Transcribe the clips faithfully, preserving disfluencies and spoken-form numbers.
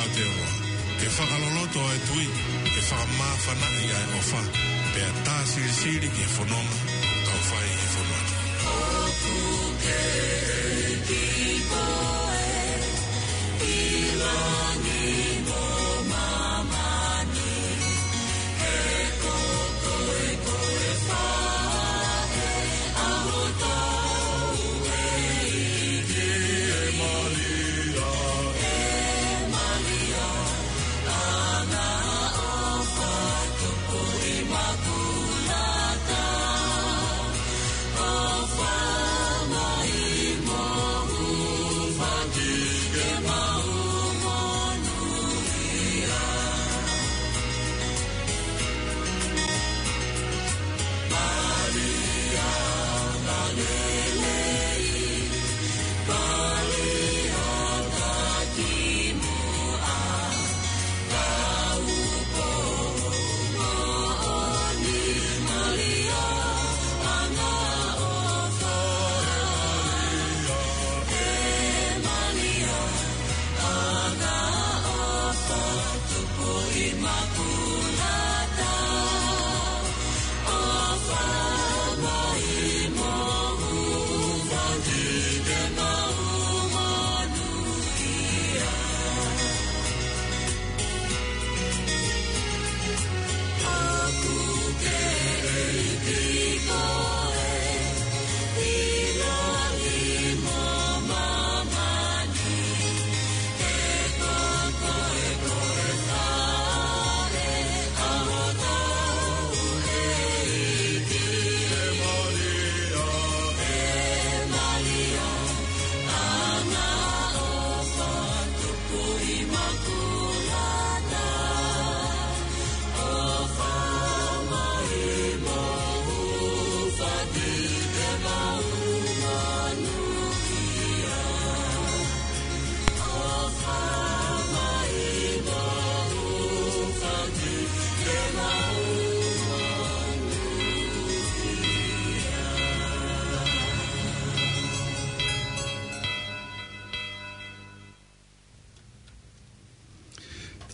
ʻOtua, ke fakaloloto ʻa e tui, ke fakamāfanaʻi ʻa e ʻofa, pea tā silisili ki he fononga ʻoku tau fai ʻi he fonua ni.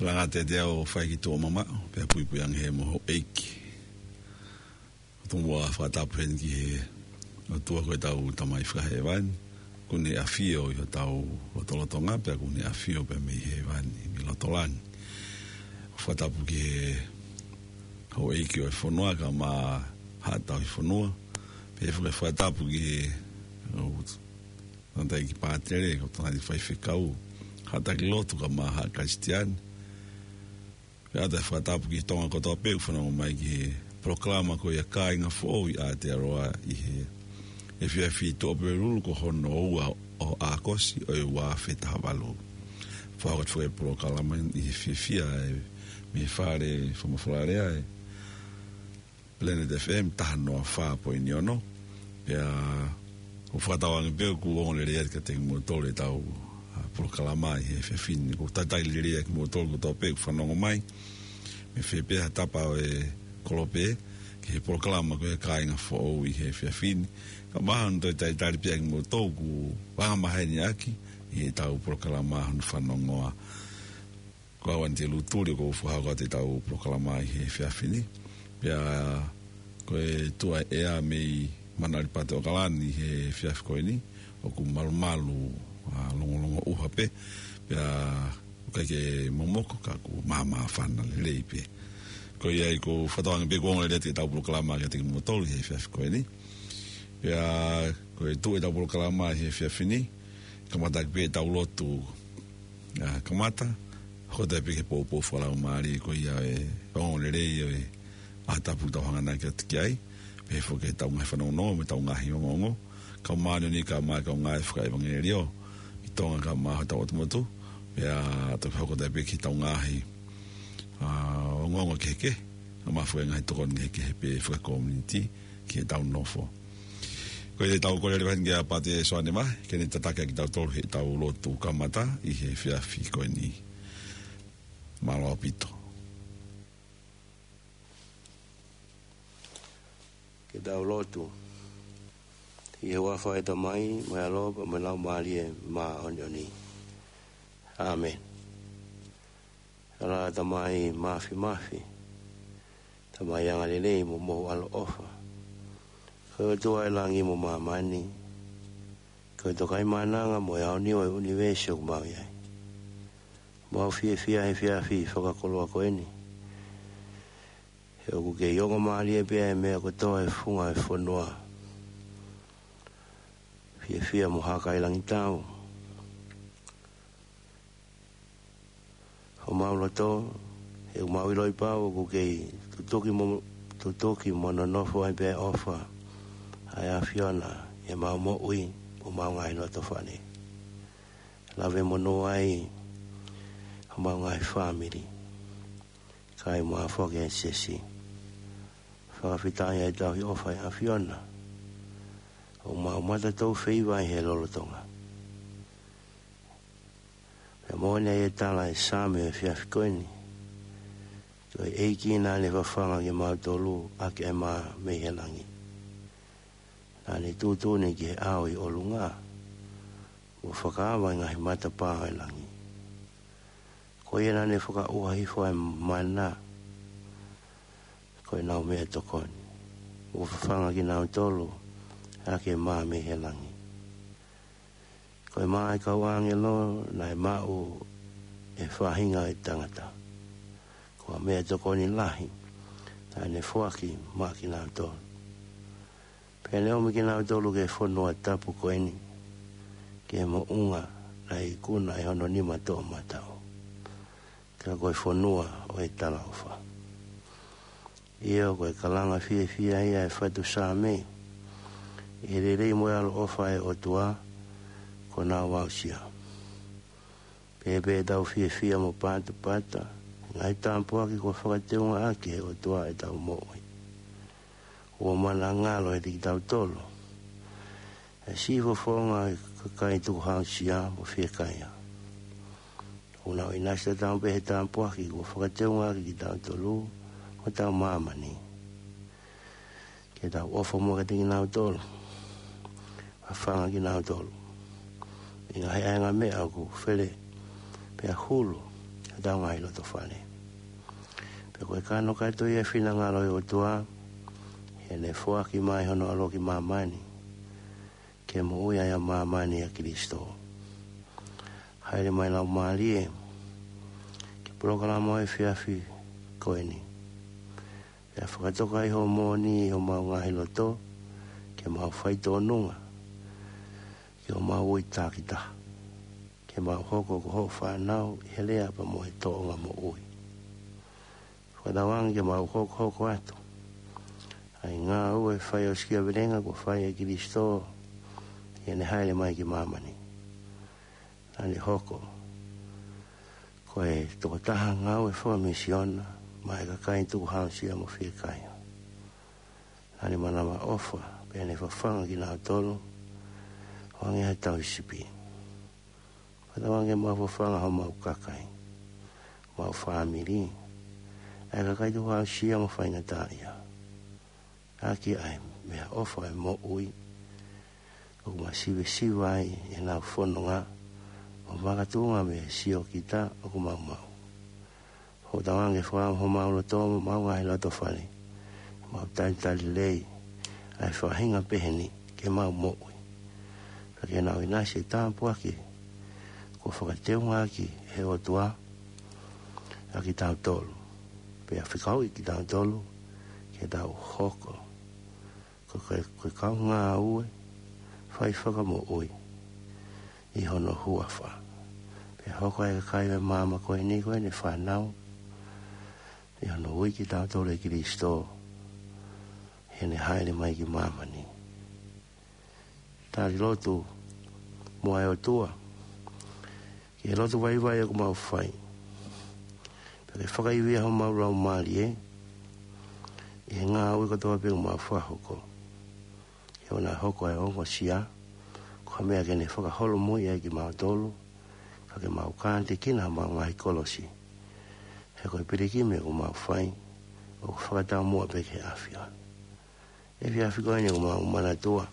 Tala atu ʻe au ʻo fai ki tuʻa mamaʻo, pea puipui ange he mo houʻeiki. ʻOtua, fakatapu heni ki he ʻOtua ko ʻetau Tamai fakahēvani, ʻoku ne ʻafio ʻi hotau lotolotonga, pea ʻoku ne ʻafio pē mei hēvani, mei loto langi. Fakatapu ki he houʻeiki ʻo e fonua, kae ʻumaʻā haʻa tauhi fonua, pea ʻoku fakatapu ki he, ʻo, tangataʻeiki pātele, ko e tangataʻeiki faifekau, haʻa taki lotu kae ʻumaʻā haʻa Kalisitiane. Pea ʻoatu e fakatapu ki Tonga kotoa pē ʻoku fanongo mai ki he polokalama ko ia Kāinga Foʻou ʻi Aotearoa ʻi he efiafi Tuʻapulelulu ko hono ua ʻo ʻAokosi ʻo e ua afe taha valu. Fakahoko atu e polokalama ʻi he fiefia ʻe mei he fale fakamafola lea ʻe Planet F M taha noa fā poini ono. Pea ʻoku fakatauange pē ʻoku ongo lelei atu kiate kimoutolu ʻetau, ʻa, polokalama ʻi he efiafi ni. ʻOku talitali lelei ʻa kimoutolu kotoa pē ʻoku fanongo mai mei fē pē ha tapa ʻo e kolope ki he polokalama ko e Kāinga Foʻou ʻi he efiafi ni. Kae ʻumaʻā hono toe talitali pē ʻa kimoutolu ʻoku angamaheni ʻaki ʻi heʻetau polokalama hono fanongoa. Ko au Anite Lutuli ʻoku ou fakahoko atu ʻetau polokalama ʻi he efiafi ni. Pea ko e tuʻu ʻa e ʻea mei Manuʻalipati ʻAokalani ʻi he efiafi ko eni, ʻoku malumalu, ʻa, longolongo ʻuha pē. Pea ʻoku ʻikai ke momoko ka ʻoku māmāfana lelei pē. Ko ia ai ʻoku fakatauange pē ʻoku ongo lelei atu ʻetau polokalama kiate kimoutolu ʻi he efiafi ko eni. Pea ko e tuʻu ʻetau polokalama ʻi he efiafi ni, kamata ʻaki pē ʻetau lotu, ʻa, kamata, hoko atu pē ki he poupou fakalaumālie ko ia ʻo e ongoongolelei ʻo e ʻaho tapu ʻoku tau hanganaki atu ki ai, pehē foki ki heʻetau ngaahi fanongonongo mo ʻetau ngaahi ongoongo, kae ʻumaʻā ʻa e ngaahi kaungā fakaʻevangeliō ʻi Tonga kae ʻumaʻā hotau ʻotu motu, pea toki hoko atu pē ki heʻetau ngaahi, ʻa, ongoongo kehekehe, kae ʻumaʻā foki e ngaahi tokoni kehekehe pē fakakomiunitī ki heʻetau nofo. Ko ia te tau kole leva heni kia Pātele Soane Mahe, ke ne tataki ʻaki kitautolu heʻetau lotu kamata ʻi he efiafi ko eni. Mālō ʻaupito. Ke tau lotu. ʻI he huafa ʻo e Tamai, mo e ʻAlo, mo e Laumālie Māʻoniʻoni. ʻĀmeni. Tamai Mafimafi, Tamai angalelei mo mohu ʻaloʻofa, ko e ʻOtua ʻo e langi mo māmani, ko e Tokaimaʻananga mo e aoniu ʻo e ʻunivēsi ʻoku mau ʻi ai. Mau fiefia he efiafi fakakoloa ko eni, he ʻoku kei ongo mālie pē ʻa e meʻa kotoa he funga ʻo e fonua. Fiefia mo hakailangitau homau loto, he ʻoku mau ʻiloʻi pau ʻoku kei tutuki mo, tutuki mo nonofo ai pē ʻofa ʻa e ʻAfiona ʻi heʻemau moʻui mo homau ngaahi loto fale. Lave monū ai homau ngaahi fāmili, kae ʻumaʻā foki e siasi. Fakafetaʻi ʻa e tauhi ʻofa ʻa e ʻAfiona ʻoku mau mata tau feiva ai he lolotonga. Pea moʻoni ʻa e tala ʻa e Saame ʻo e efiafi ko eni: Ko e ʻEiki naʻa ne fafanga kimautolu ʻaki ʻa e mā mei he langi. Naʻa ne tuʻutuʻuni ki he ʻao ʻi ʻolunga, ʻo fakaava ʻa e ngaahi matapā ʻo e langi. Ko ia naʻa ne fakaʻuha hifo ʻa e mana ko ʻenau meʻatokoni, ʻo fafanga kinautolu ʻaki e mā mei he langi. Ko e mā ʻa e kau ʻāngelo naʻe maʻu ʻe he faʻahinga ʻo e tangata. Ko ha meʻatokoni lahi naʻa ne foaki maʻa kinautolu, pea ne ʻomi kinautolu ki he fonua tapu ko eni, ki he moʻunga naʻe ikuna ʻe hono nima toʻomataʻu, ka ko e fonua ʻo e talaʻofa. ʻIo, ko e kalanga fiefia ia ʻa e fatu Saame, ʻi he lelei mo e ʻaloʻofa ʻa e ʻOtua kuo nau aʻusia. Pea pē ʻetau fiefia mo patapata he ngaahi tāpuaki kuo fakateunga ʻaki ʻe he ʻOtua ʻetau moʻui, ʻoku mana ngalo ʻiate kitautolu ʻa e siʻi fofonga ʻo e kakai tukuhausia mo fiekaia, ʻoku nau ʻinasi tatau pē he tāpuaki kuo fakateunga ʻaki kitautolu ʻi hotau māmani, ke tau ʻofa muʻa kiate kinautolu, fafanga kinautolu ʻi he ngaahi ʻaenga meʻa ʻoku fele pea hulu ʻi hotau ngaahi loto fale. Pea ko e kanokato ia ʻo e finangalo ʻo e ʻOtua, ʻi heʻene foaki mai hono ʻAlo ki māmani, ke moʻui ai ʻa māmani ʻia Kilisitō. Hāʻele mai Laumālie ki he polokalama ʻo e efiafi ko eni, pea fakatoka ʻi hoʻo moʻoni ʻi homau ngaahi loto, ke mau faitōnunga ki hoʻomau ui takitaha, ke mau hoko ko hoʻo fānau ʻi he lea pea mo e tōʻonga moʻui. Fakatauange ke mau hokohoko atu ʻa e ngāue fai ʻo sikia velenga kuo fai ʻe Kilisitō ʻi heʻene hāʻele mai ki māmani. Naʻa ne hoko ko e tokotaha ngāue fakamisiona maʻá e kakai tukuhausia mo fiekaia. Naʻa ne manavaʻofa pea ne fafanga kinautolu ʻo hangē ha tauhi sipi. Fakatauange ke mau fafanga homau kakai, homau fāmili, ʻa e kakai tukuhausia mo faingataʻaʻia, ʻaki ʻa e meʻaʻofa ʻo e moʻui ʻoku ma sivesiva ai ʻenau fononga, ʻo makatuʻunga mei he siokita ʻoku mau maʻu. Fakatauange ke fakaava homau loto mo homau ngaahi loto fale, mau talitali lelei ʻa e faʻahinga pehē ni ke mau moʻui, pea ke nau ʻinasi he tāpuaki kuo fakateunga ʻaki ʻe he ʻOtua ʻa kitautolu, pea fekauʻi kitautolu ke tau hoko ko e, ko e kau ngāue fai fakamoʻui ʻi hono huafa, pea hoko ʻa e kakai ʻo e maama ko eni ko ʻene fānau, ʻi hono ui kitautolu ʻe Kilisitō ʻi heʻene hāʻele mai ki māmani. Tali lotu muʻa ʻa e ʻOtua ki he lotu vaivai ʻoku mau fai, pea ke fakaivia homau laumālie ʻi he ngāue kotoa pē ʻoku mau fakahoko, ke ʻoua naʻa hoko ʻa e ongosia ko ha meʻa ke ne fakaholomui ai kimautolu, ka ke mau kātekina homau ngaahi kolosi, he ko e pilikimi ʻoku mau fai ʻoku fakataumuʻa pē ki he ʻAfiona. Efiafi ko eni ʻoku mau manatua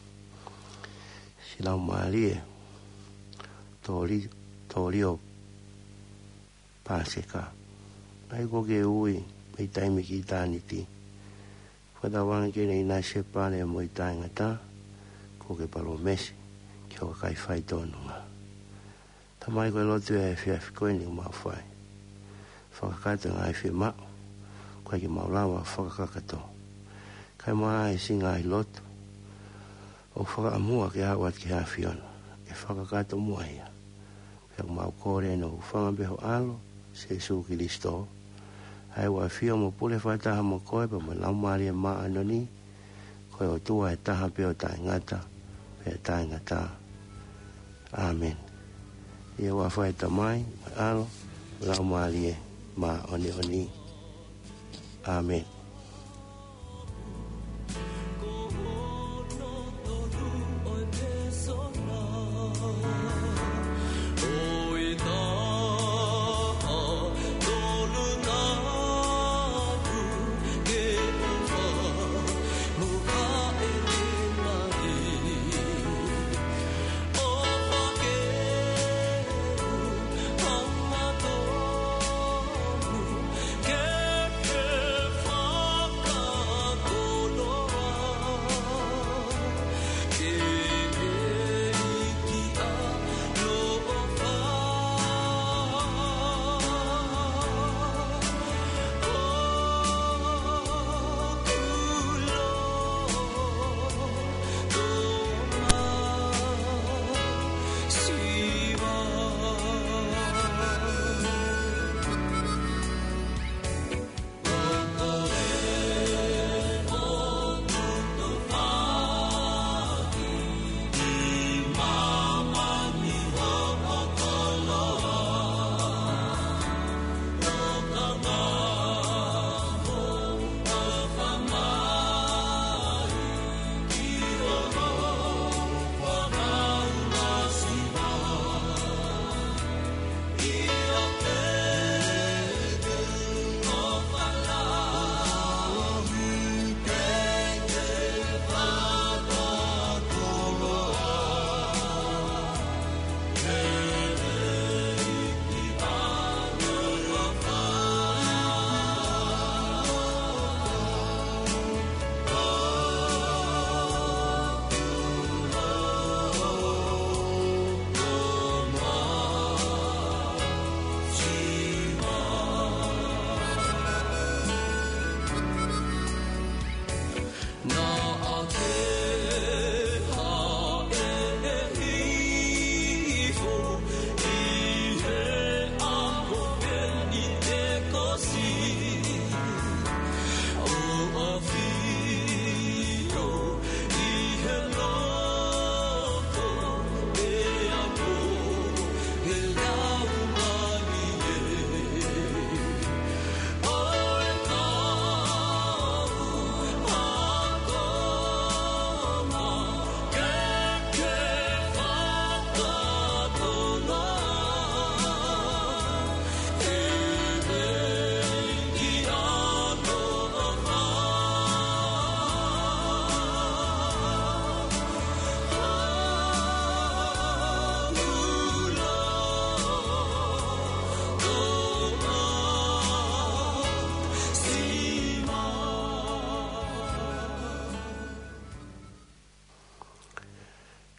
siʻi laumālie, Tōli, Tōlio Pāseka. ʻA ia kuo ke ui mei taimi ki ʻitāniti. Fakatauange ke ne ʻinasi e pale mo e taʻengata kuo ke palōmesi ki ho kakai faitotonu. Tamai, ko e lotu ʻo e efiafi ko eni ʻoku mau fai. Fakakakato e ngaahi fiemaʻu ʻoku ʻikai ke mau lava fakakakato. Kae ʻumaʻā siʻi ngaahi lotu ʻoku fakaʻamua ke aʻu atu ki he ʻAfiona, ke fakakakato muʻa ia. Pea ʻoku mau kole ʻeni ʻo hūfanga pē ho ʻAlo, Sīsū Kalaisi, ʻa ia ʻoku ʻafio mo pule fakataha mo koe pea mo e Laumālie Māʻoniʻoni, ko e ʻOtua ʻe taha pē ʻo taʻengata pea taʻengata. ʻĀmeni. ʻI he huafa ʻo e Tamai, mo e ʻAlo, mo e Laumālie Māʻoniʻoni. ʻĀmeni.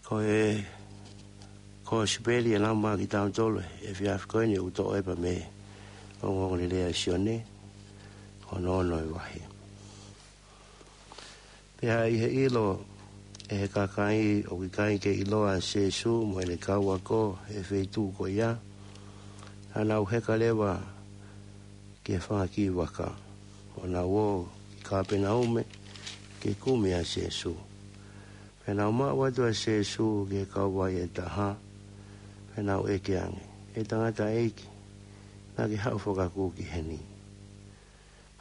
Ko e Kosipeli ʻe lau maʻa kitautolu he efiafi ko eni ʻoku toʻo ʻe pea mei he ongoongolelei ʻa Sione, ko hono ono e vahe. Pea ʻi he ʻilo ʻe he kakai ʻoku ʻikai ke ʻiloa ʻa Sīsū mo ʻene kau ako he feituʻu ko ia, naʻa nau heka leva ki he fanga kiʻi vaka, ʻo nau ō ki Kāpenaume ke kumi ʻa Sīsū. Pea nau maʻu atu ʻa Sīsū ki he kauvai ʻe taha, pea nau ʻeke ange, ʻE tangataʻeiki, naʻa ke haʻu fakakū ki heni?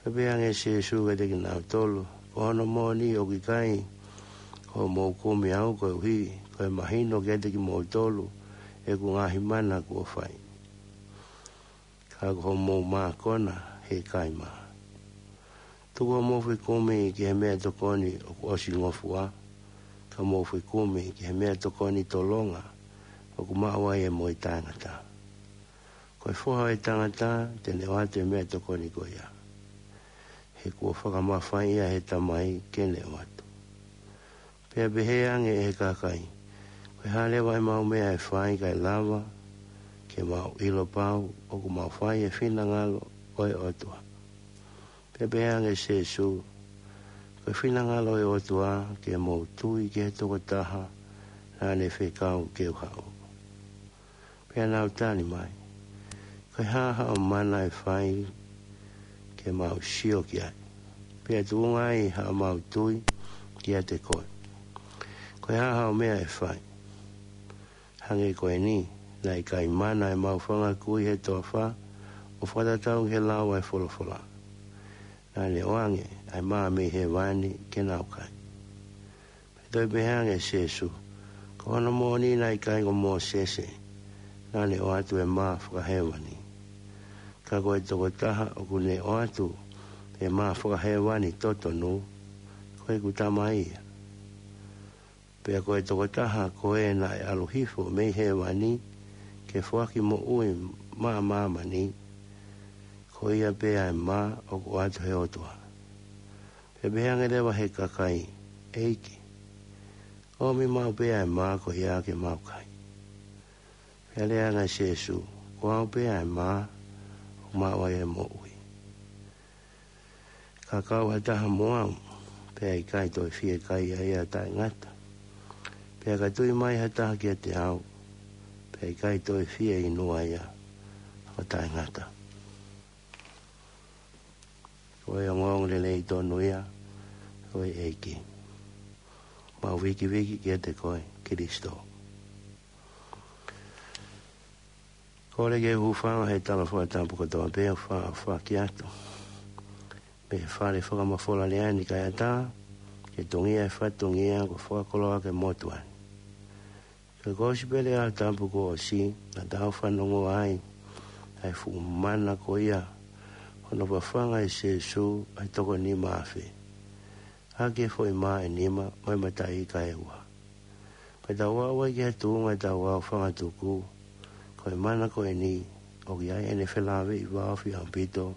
Pea pehē ange ʻe Sīsū kiate kinautolu, Ko hono moʻoni ʻoku ʻikai ko hoʻomou kumi au koeʻuhi ko e mahino kiate kimoutolu ʻeku ngaahi mana kuo fai, ka ko hoʻomou mākona he ʻikai mā. Tuku hoʻomou fekumi ki he meʻatokoni ʻoku ʻosi ngofua, ka mou fekumi ki he meʻatokoni tolonga ʻoku maʻu ai e moʻui taʻengata. Ko Ko e Foha ʻo e Tangata te ne ʻoatu e meʻatokoni ko ia, he kuo fakamafaiʻi ia ʻe he Tamai ke ne ʻoatu. Pea pehē ange ʻe he kakai, Ko e hā leva ʻemau meʻa ʻe fai kae lava ke mau ʻilo pau ʻoku mau fai e finangalo ʻo e ʻOtua? Pea pehē ange ʻe Sēsū, Ko e finangalo ʻo e ʻOtua ke mou tui ki he tokotaha naʻa ne fekau ke u haʻu. Pea nau tali mai, Ko e hā haʻo mana ʻe fai ke mau sio ki ai, pea tuʻunga ai haʻamau tui kiate koe? Ko e hā haʻo meʻa ʻe fai? Hangē ko eni, naʻe ʻikai mana ʻemau fanga kui he toafa ʻo fakatatau ki he lau ʻa e folofola, naʻa ne ʻoange ʻa e mā mei hēvani ke nau kai. Pea toe pehē ange ʻe Sēsū, Ko hono moʻoni naʻe ʻikai ko Mōsese naʻa ne ʻoatu e mā fakahēvani, ka ko e tokotaha ʻoku ne ʻoatu e mā fakahēvani totonu, ko ʻeku Tamai ia. Pea ko e tokotaha ko ē naʻe ʻalu hifo mei hēvani ke foaki moʻui maʻa māmani, ko ia pē ʻa e mā ʻoku ʻoatu ʻe he ʻOtua. Pea pehē ange leva ʻe he kakai, ʻEiki, ʻomi maʻu pē ʻa e mā ko ia ke mau kai. Pea lea ange ʻa Sēsū, Ko au pē ʻa e mā ʻoku maʻu ai e moʻui. Ka kau ha taha mo au, pea ʻe ʻikai toe fie kai ia ʻo taʻengata. Pea ka tui mai ha taha kiate au, pea ʻe ʻikai toe fie inu ia ʻo taʻengata. Ko e ongoongolelei tonu ia ʻo e ʻEiki. Mau vikiviki kiate koe, Kalaisi. Kole ke u hūfanga he tala fakatapu kotoa pē ʻoku faʻa ʻohake atu mei he fale fakamafola lea ni kae ʻatā ke tongia e fatongia kuo fakakoloa ki he motuʻa ni. Ko e kosipeli ʻaho Tapu kuo ʻosi, naʻa tau fanongo ai ʻa e fuʻu mana ko ia hono fafanga ʻe Sēsū ʻa e toko nima afe ʻaki e foʻi mā ʻe nima mo e mataʻi ika ʻe ua. Pea tau aʻu ai ki he tuʻunga ʻetau aofangatuku, ko e mana ko eni ʻoku ʻi ai ʻene felāveʻi vāofi ʻaupito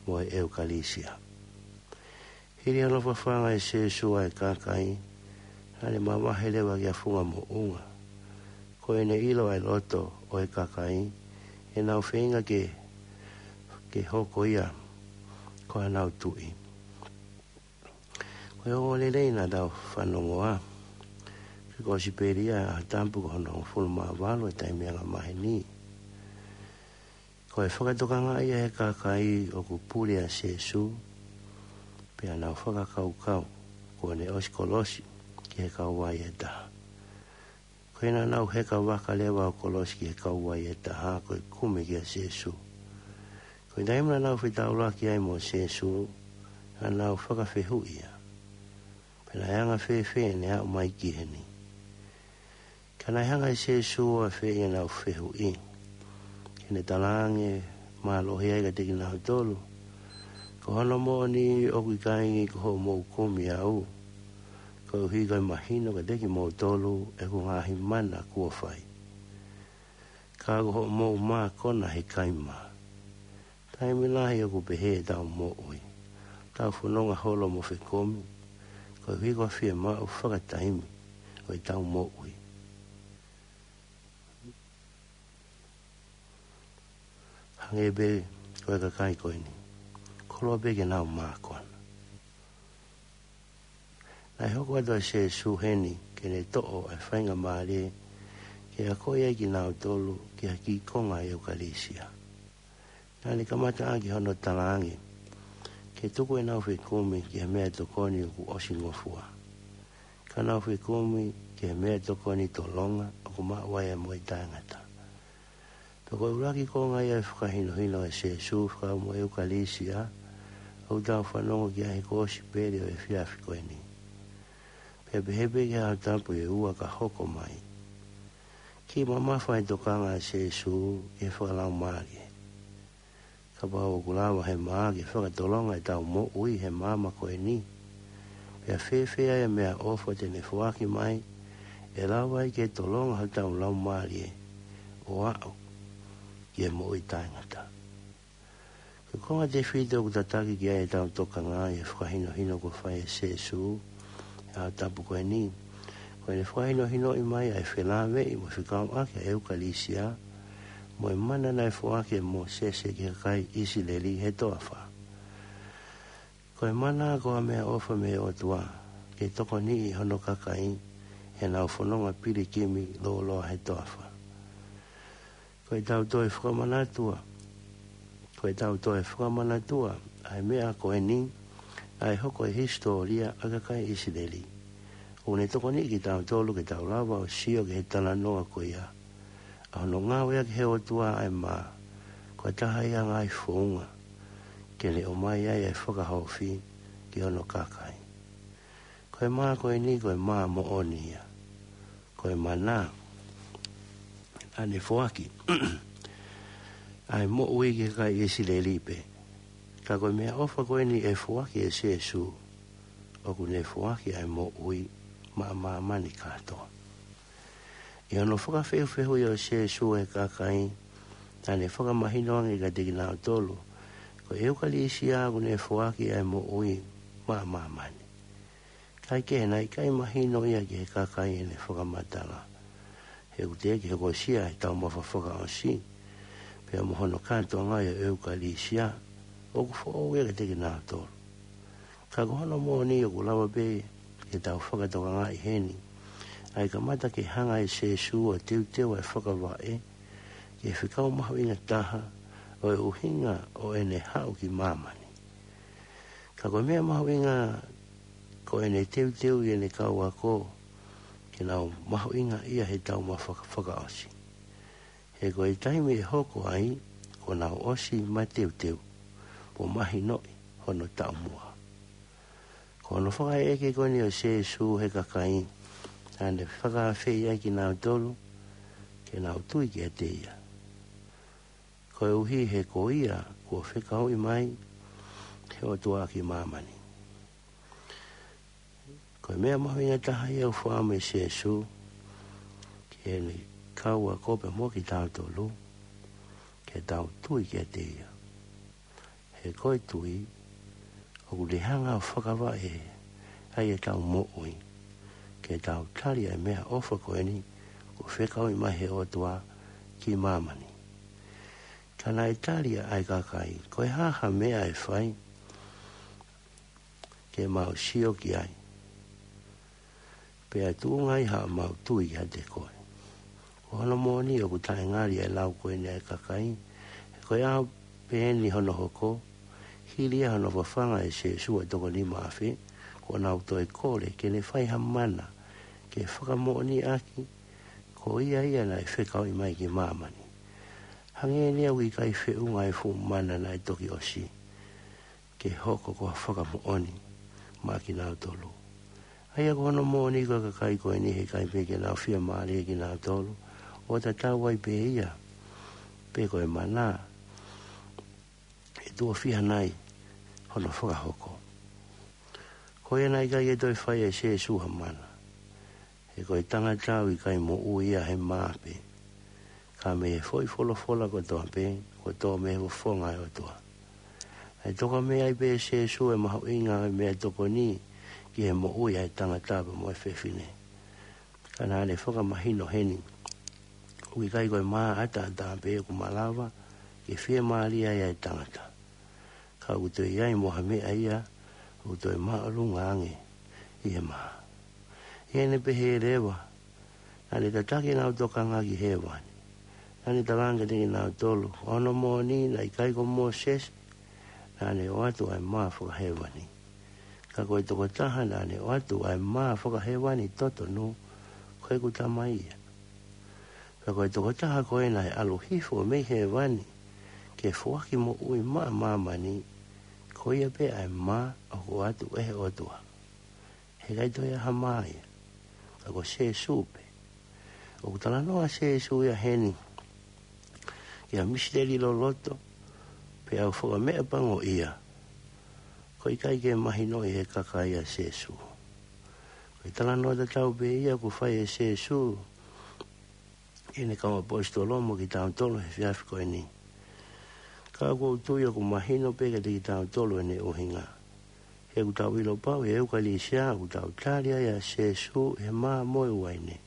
mo e ʻEukalisia. Hili hono fafanga ʻe Sēsū ʻa e kakai, naʻa ne mavahe leva ki ha funga moʻunga. Ko ʻene ʻilo ʻa e loto ʻo e kakai, ʻenau feinga ke, ke hoko ia ko ʻenau tuʻi. Ko e ongoongolelei naʻa tau fanongoa, ko e kosipeli ia ʻaho Tapu ko hono hongofulu mā valu ʻo e taimi angamaheni. Ko e fakatokangaʻi ia ʻe he kakai ʻoku puli ʻa Sēsū, pea nau fakakaukau kuo ne ʻosi kolosi ki he kauvai ʻe taha. Ko ia naʻa nau heka vaka leva ʻo kolosi ki he kauvai ʻe taha ko e kumi kia Sēsū. Ko e taimi naʻa nau fetaulaki ai mo Sēsū, naʻa nau fakafehuʻi ia, Pe naʻe anga fēfē ʻene aʻu mai ki heni? Ka naʻe hanga ʻe Sēsū ʻo afeʻi ʻenau fehuʻi, ke ne talaange mālohi ai kiate kinautolu, Ko hono moʻoni ʻoku ʻikai ko hoʻomou kumi au, koeʻuhi ko e mahino kiate kimoutolu ʻeku ngaahi mana kuo fai. Ka ko hoʻomou mākona he kaima. Taimi lahi ʻoku pehē ʻetau moʻui, tau fononga holo mo fekumi, koeʻuhi ko e fiemaʻu fakataimi ʻo ʻetau moʻui. Hangē pē ko e kakai ko eni, koloa pē ke nau mākona. Naʻe hoko atu ʻa Sēsū heni ke ne toʻo ʻa e faingamālie ke akoʻi ai kinautolu ki ha kiʻi konga ʻo e ʻEukalisia. Naʻa ne kamata ʻaki hono talaange ke tuku ʻenau fekumi ki he meʻatokoni ʻoku ʻosi ngofua, ka nau fekumi ki he meʻatokoni tolonga ʻoku maʻu ai ʻa e moʻui taʻengata. Pea ko e ʻuluaki konga ia ʻo e fakahinohino ʻa Sēsū fekauʻaki mo e ʻEukalisia ʻoku tau fanongo ki ai he kosipeli ʻo e efiafi ko eni. Pea pehē pē ki he Aho Tapu ʻe ua ka hoko mai, kiʻi mamafa e tokanga ʻa Sēsū ʻi he fakalaumālie. Kapau ʻoku lava ʻe he mā ke fakatolonga ʻetau moʻui he māmani ko eni, pea fēfē ai ʻa e meʻaʻofa te ne foaki mai ʻe lava ai ke tolonga hotau laumālie ʻo aʻu ki he moʻui taʻengata. Ko e konga tefito ʻoku tataki ki ai ʻetau tokanga ʻi he fakahinohino kuo fai ʻe Sīsū ʻi he ʻaho tapu ko eni, ko ʻene fakahinohinoʻi mai ʻa e felāveʻi mo fekauʻaki ʻa e ʻEukalīsia mo e mana naʻe foaki ʻe Mōsese ki he kakai ʻIsileli he toafa. Ko e mana ko ha meʻaʻofa mei he ʻOtua ke tokoniʻi hono kakai heʻenau fononga pilikimi lōloa he toafa. Ko ʻetau toe fakamanatua, ko ʻetau toe fakamanatua ʻa e meʻa ko eni, ʻa e hoko ʻi he hisitōlia ʻa e kakai ʻIsileli, ʻoku ne tokoniʻi kitautolu ke tau lava ʻo sio ki he talanoa ko ia ʻa hono ngāueʻaki ʻe he ʻOtua ʻa e mā ko ha taha ia ʻo e ngaahi founga ke ne ʻomai ai ʻa e fakahaofi ki hono kakai. Ko e mā ko eni ko e mā moʻoni ia. Ko e mana naʻa ne foaki ʻa e moʻui ki he kakai ʻIsileli pē, ka ko e meʻaʻofa ko eni ʻe foaki ʻe Sīsū, ʻoku ne foaki ʻa e moʻui maʻa māmani kātoa. ʻI hono fakafehufehuʻi ʻo Sīsū ʻa e kakai, naʻa ne fakamahino ange kiate kinautolu ko e ʻEukalīsia ʻoku ne foaki ʻa e moʻui maʻa māmani. Kaekehe, naʻe ʻikai mahino ia ki he kakai ʻene fakamatala, he ʻoku teʻeki hokosia ʻe he taumafa fakaʻosi pea mo hono kātoanga ʻo e ʻEukalīsia ʻoku foʻou ia kiate kinautolu. Ka ko hono moʻoni ʻoku lava pē ke tau fakatokangaʻi heni ʻa e kamata ke hanga ʻe Sīsū ʻo teuteu ʻa e fakavaʻe ki he fekau mahuʻinga taha ʻo e ʻuhinga ʻo ʻene haʻu ki māmani. Ka ko e meʻa mahuʻinga ko ʻene teuteuʻi ʻene kau ako ke nau mahuʻingaʻia ʻe he taumafa fakaʻosi, he ko e taimi ʻe hoko ai kuo nau ʻosi mateuteu mo mahinoʻi hono taʻumuʻa. Ko hono fakaʻekeʻeke ko eni ʻo Sīsū ʻi he kakai, naʻa ne fakaafeʻi ai kinautolu ke nau tui kiate ia, koeʻuhi he ko ia kuo fekauʻi mai ʻe he ʻOtua ki māmani. Ko e meʻa mahuʻinga taha ia ʻoku fakaʻamu ʻe Sīsū ki heʻene kau ako pea mo kitautolu, ke tau tui kiate ia. He ko e tui ʻoku ne hanga ʻo fakavaʻe ai ʻetau moʻui ke tau tali ʻa e meʻaʻofa ko eni kuo fekauʻi mai ʻe he ʻOtua ki māmani. Ka naʻe tali ʻa e kakai, ko e hā ha meʻa ʻe fai ke mau sio ki ai, pea tuʻunga ai haʻamau tui kiate koe? Ko hono moʻoni ʻoku taʻengali ʻa e lau ko eni ʻa e kakai, he ko e ʻaho pē eni hono hoko, hili ia hono fafanga ʻe Sīsū ʻa e toko nima afe, kuo nau toe kole ke ne fai ha mana ke fakamoʻoniʻaki ko ia ia naʻe fekauʻi mai ki māmani. Hangē eni ʻoku ʻikai feʻunga ʻa e fuʻu mana naʻe toki ʻosi ke hoko ko ha fakamoʻoni maʻa kinautolu. ʻA ia ko hono moʻoni ko e kakai ko eni he ʻikai pē ke nau fiemālie kinautolu, ʻo tatau ai pē ia pe ko e mana ʻe tuʻo fiha nai hono fakahoko. Ko ia naʻe ʻikai ke toe fai ʻe Sīsū ha mana, he ko e tangata ʻoku ʻikai moʻui ia he mā pē, ka mei he foʻi folofola kotoa pē kuo tō mei he fofonga ʻo e ʻOtua. Naʻe tokanga mai ai pē ʻe Sīsū ʻa e mahuʻinga ʻo e meʻatokoni ki he moʻui ʻa e tangata pea mo e fefine. Ka naʻa ne fakamahino heni ʻoku ʻikai ko e mā ʻataʻatā pē ʻoku malava ke fiemālie ai ʻa e tangata, ka ʻoku toe ʻi ai mo ha meʻa ia ʻoku toe māʻolunga ange ʻi he mā. ʻI heʻene pehē leva, naʻa ne tataki ʻenau tokanga ki hēvani. Naʻa ne tala ange kiate kinautolu, ko hono moʻoni naʻe ʻikai ko Mōsese naʻa ne ʻoatu ʻa e mā fakahēvani, ka ko e tokotaha naʻa ne ʻoatu ʻa e mā fakahēvani totonu, ko ʻeku Tamai ia. Pea ko e tokotaha ko ē naʻe ʻalu hifo mei hēvani ke foaki moʻui maʻa māmani, ko ia pē ʻa e mā ʻoku ʻoatu ʻe he ʻOtua. He ʻikai toe ʻi ai ha mā ia ka ko Sīsū pē. ʻOku talanoa Sīsū ia heni ki ha misiteli loloto, pea ʻoku fakameʻapangoʻia ko e ʻikai ke mahinoʻi ʻe he kakai ʻa Sīsū. Ko e talanoa tatau pē ia ʻoku fai ʻe Sīsū ʻi ʻEne kau ʻaposetolo mo kitautolu he efiafi ko eni. Ka ʻoku ou tui ʻoku mahino pē kiate kitautolu ʻene ʻuhinga. He ʻoku tau ʻilo pau ʻi he ʻEukalisia ʻoku tau tali ai ʻa Sīsū ʻi he mā mo e uaine.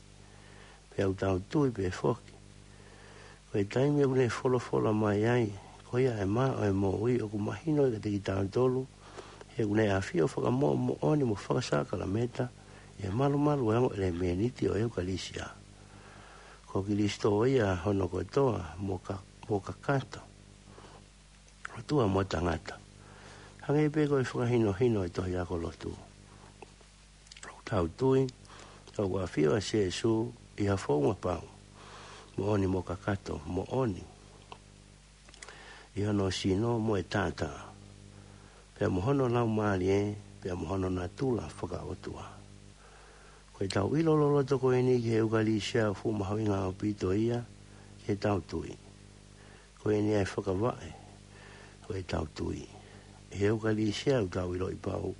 Pea ʻoku tau tui pē foki ko e taimi ʻoku ne folofola mai ai, ko ia ʻa e mā ʻo e moʻui, ʻoku mahino kiate kitautolu, he ʻoku ne ʻafio fakamoʻomoʻoni mo fakasākalameta ʻi he malumalu ʻo e ongo ʻelemēniti ʻo e ʻEukalisia. Ko Kilisitō ia hono kotoa mo ka-, mo kakato, ʻOtua mo tangata. Hangē pē ko e fakahinohino ʻo e tohi ako lotu. ʻOku tau tui ʻoku ʻafio ʻa Sīsū ʻi ha founga pau, moʻoni mo kakato, moʻoni ʻi hono sino mo e taʻataʻa, pea mo hono laumālie, pea mo hono natula fakaʻotua. Ko ʻetau ʻilo loloto ko eni ki he ʻEukalisia ʻoku fuʻu mahuʻinga ʻaupito ia ki heʻetau tui. Ko eni ʻa e fakavaʻe ʻo ʻetau tui. ʻI he ʻEukalisia ʻoku tau ʻiloʻi pau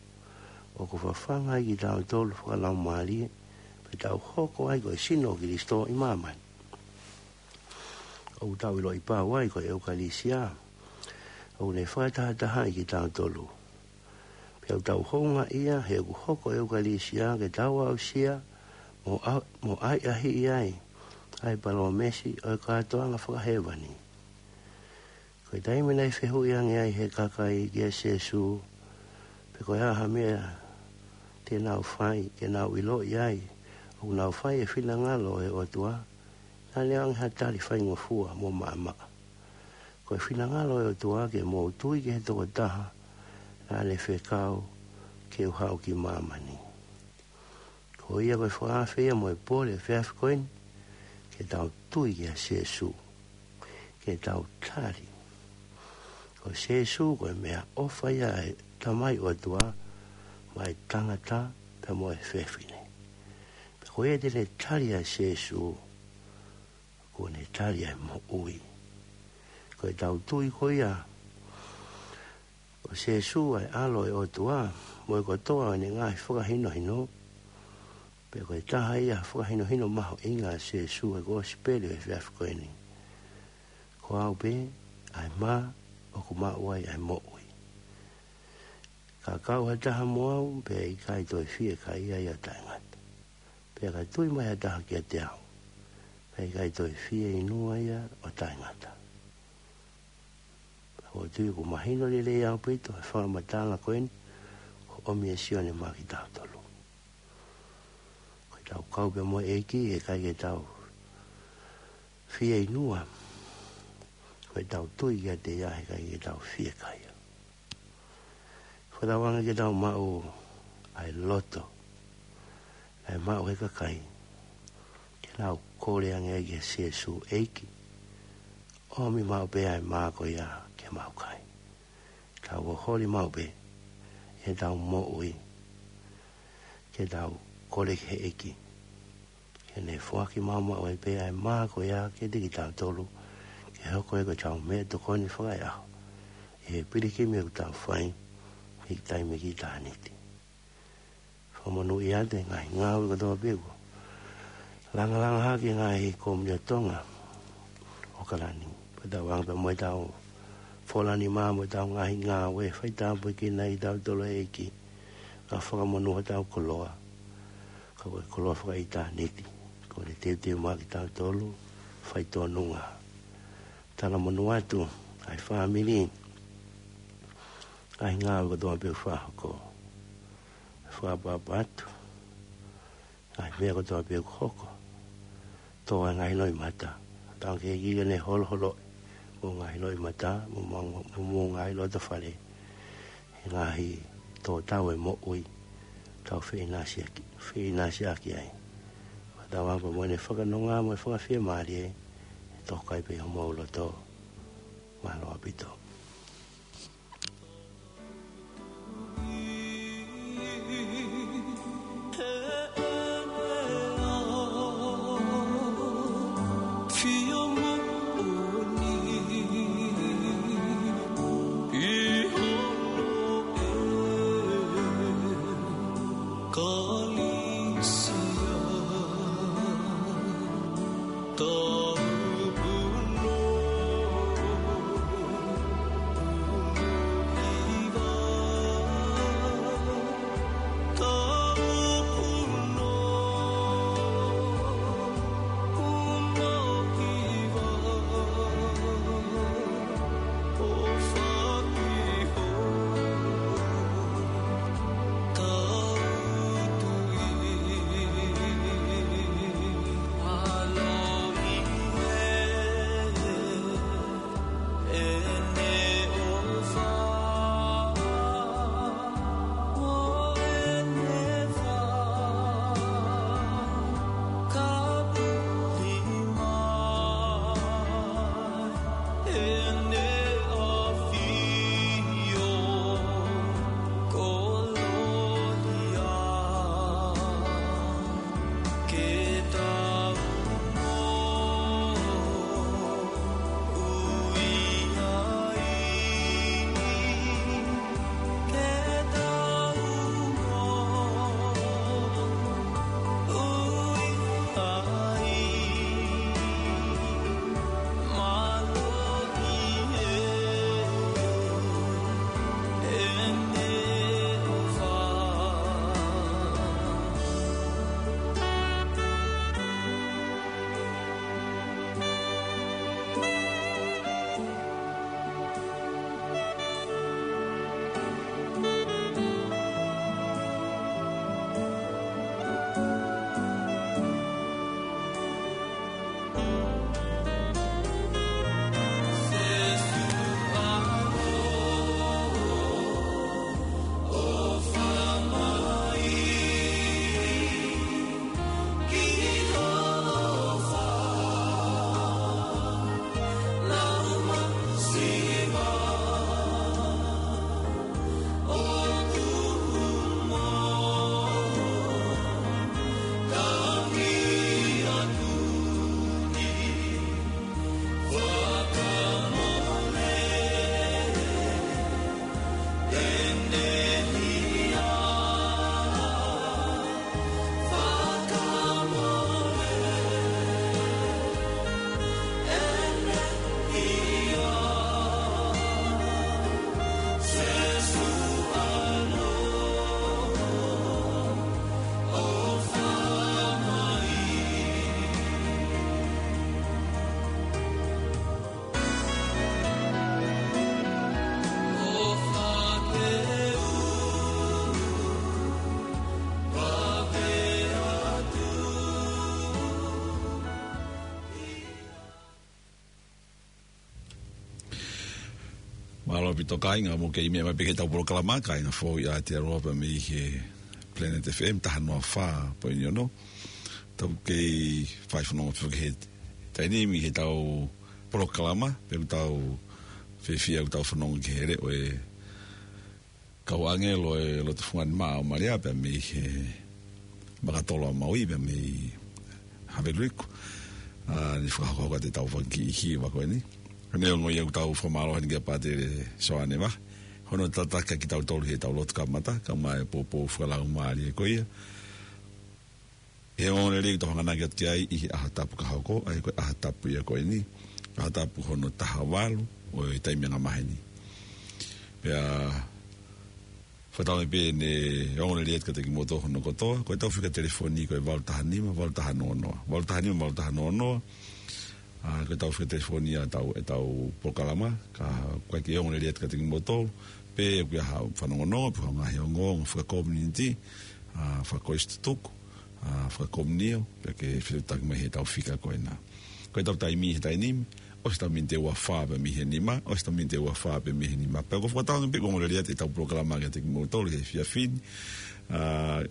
ʻoku fafanga ai kitautolu fakalaumālie, pea tau hoko ai ko e sino ʻo Kilisitō ʻi māmani. ʻOku tau ʻiloʻi pau ai ko e ʻEukalisia ʻoku ne fakatahatahaʻi kitautolu. Pea ʻoku tau houngaʻia he ʻoku hoko e ʻEukalisia ke tau aʻusia mo ʻa-, mo ʻahiʻahiʻi ai ʻa e palōmesi ʻo e kātoanga fakahēvani. Ko e taimi naʻe fehuʻi ange ai ʻe he kakai kia Sīsū pe ko e hā ha meʻa te nau fai ke nau ʻiloʻi ai ʻoku nau fai e finangalo ʻo e ʻOtua, naʻa ne ʻoange ha tali faingofua mo maʻamaʻa. Ko e finangalo ʻo e ʻOtua ke mou tui ki he tokotaha naʻa ne fekau ke u haʻu ki māmani. Ko ia ko e fakaafe ia mo e pole ʻo e efiafi ko eni, ke tau tui kia Sīsū, ke tau tali ko Sīsū ko e meʻaʻofa ia ʻa e Tamai ʻOtua maʻa e tangata pea mo e fefine. Pea ko ia te ne tali ʻa Sīsū, kuo ne tali ʻa e moʻui. Ko ʻetau tui ko ia ko Sīsū ʻa e ʻAlo ʻo e ʻOtua, mo e kotoa ʻo ʻene ngaahi fakahinohino, pea ko e taha ia fakahinohino mahuʻinga ʻa Sīsū ʻi he Kosipeli ʻo e efiafi ko eni. Ko au pē ʻa e mā ʻoku maʻu ai ʻa e moʻui. Ka kau ha taha mo au, pea ʻikai toe fiekaia ia ʻo taʻengata. Pea ka tui mai ha taha kiate au, pea ʻikai toe fieinua ia ʻo taʻengata. ʻOku ou tui ʻoku mahino lelei ʻaupito e fakamatala ko eni ʻoku ʻomi ʻe Sione maʻa kitautolu. Ko ʻetau kau pē mo e ʻEiki, ʻikai ke tau fieinua. Ko ʻetau tui kiate ia, he ʻikai ke tau fiekaia. Fakatauange ke tau maʻu ʻa e loto naʻe maʻu ʻe he kakai, ke nau kole ange ai kia Sīsū, ʻEiki, ʻomi maʻu pē ʻa e mā ko ia ke mau kai. Tau holi maʻu pē ʻi heʻetau moʻui, ke tau kole ki he ʻEiki ke ne foaki maʻu maʻu ai pē ʻa e mā ko ia kiate kitautolu, ke hoko ia ko ʻetau meʻatokoni fakaeʻaho ʻi he pilikimi ʻoku tau fai ʻi he taimi ki ʻitāniti. Fakamonūʻia atu e ngaahi ngāue kotoa pē kuo langalanga hake ʻe he ngaahi kōmiti ʻa Tonga ʻo ʻAokalani. Fakatauange pē mo ʻetau fola nima mo ʻetau ngaahi ngāue, fai tāpuekina kitautolu ʻe he ʻEiki, kae fakamonū hotau koloa, ka ko e koloa fakaʻitāniti kuo ne teuteu maʻa kitautolu, fai tōnunga. Talamonū atu ʻa e fāmili, ngaahi ngāue kotoa pē ʻoku fakahoko. Fakaʻapaʻapa atu ngaahi meʻa kotoa pē ʻoku hoko. Tō ʻa e ngaahi loʻimata. Tau ke ʻEiki ke ne holoholoʻi homou ngaahi loʻimata, mo, mo, mo, mo ngaahi loto fale, he ngaahi tō tau e moʻui, tau feʻinasiʻaki, feʻinasiʻaki ai. Fakatauange pē mo ʻene fakanonga mo e fakafiemālie, ʻe toka ai pē homou loto. Mālō ʻaupito. ʻOpito kāinga, mou kei meʻa mai pē ki heʻetau polokalama, kāinga foʻou ʻa Aotearoa pea mei he Planet F M taha noa fā poini ono. Tau kei fai fanongo pē ki he taimi ni heʻetau polokalama, pea ʻoku tau fiefia ʻoku tau fanongo ki he leʻo ʻo e kau ʻāngelo ʻo e loto fungani maʻa ʻo Malia pea mei he Makatolo ʻa Maui pea mei Haveluiku. ʻA, ne fakahoko atu ʻetau fanga kiʻi hiva ko eni. Ko eni ʻoku ou fakamālō heni kia Pātele Soane Vahe hono tataki kitautolu heʻetau lotu kamata, kae ʻumaʻā e poupou fakalaumālie ko ia. He ongoongolelei ʻoku tau hanganaki atu ki ai ʻi he ʻaho tapu ka hoko, ʻa ia ko e ʻaho tapu ia ko eni, ʻaho tapu hono taha valu ʻo e taimi angamaheni. Pea fakatauange pē ʻene ongoongolelei atu kiate kimoutolu hono kotoa, ko ʻetau fika telefoni ko e valu taha nima, valu taha noa noa. Valu taha nima, valu taha noa noa. ʻA, ko ʻetau fika telefoni ʻa ʻetau, ʻetau polokalama, ka ʻoku ʻikai ke ongoongolelei atu kiate kimoutolu, pe ʻoku ʻi ai haʻo fanongonongo, pe haʻo ngaahi ongoongo fakakomiunitī, ʻa, fakakoisitutuku, ʻa, fakakomiunio, pea ke fetuʻutaki mai heʻetau fika ko ena. Ko ʻetau taimi he taimi ni, ʻosi ʻetau miniti ʻe ua fā pē mei he nima, ʻosi ʻetau miniti ʻe ua fā pē mei he nima. Pea ʻoku ou fakatauange pē ʻoku ongoongolelei atu ʻetau polokalama kiate kimoutolu he efiafi ni. ʻA,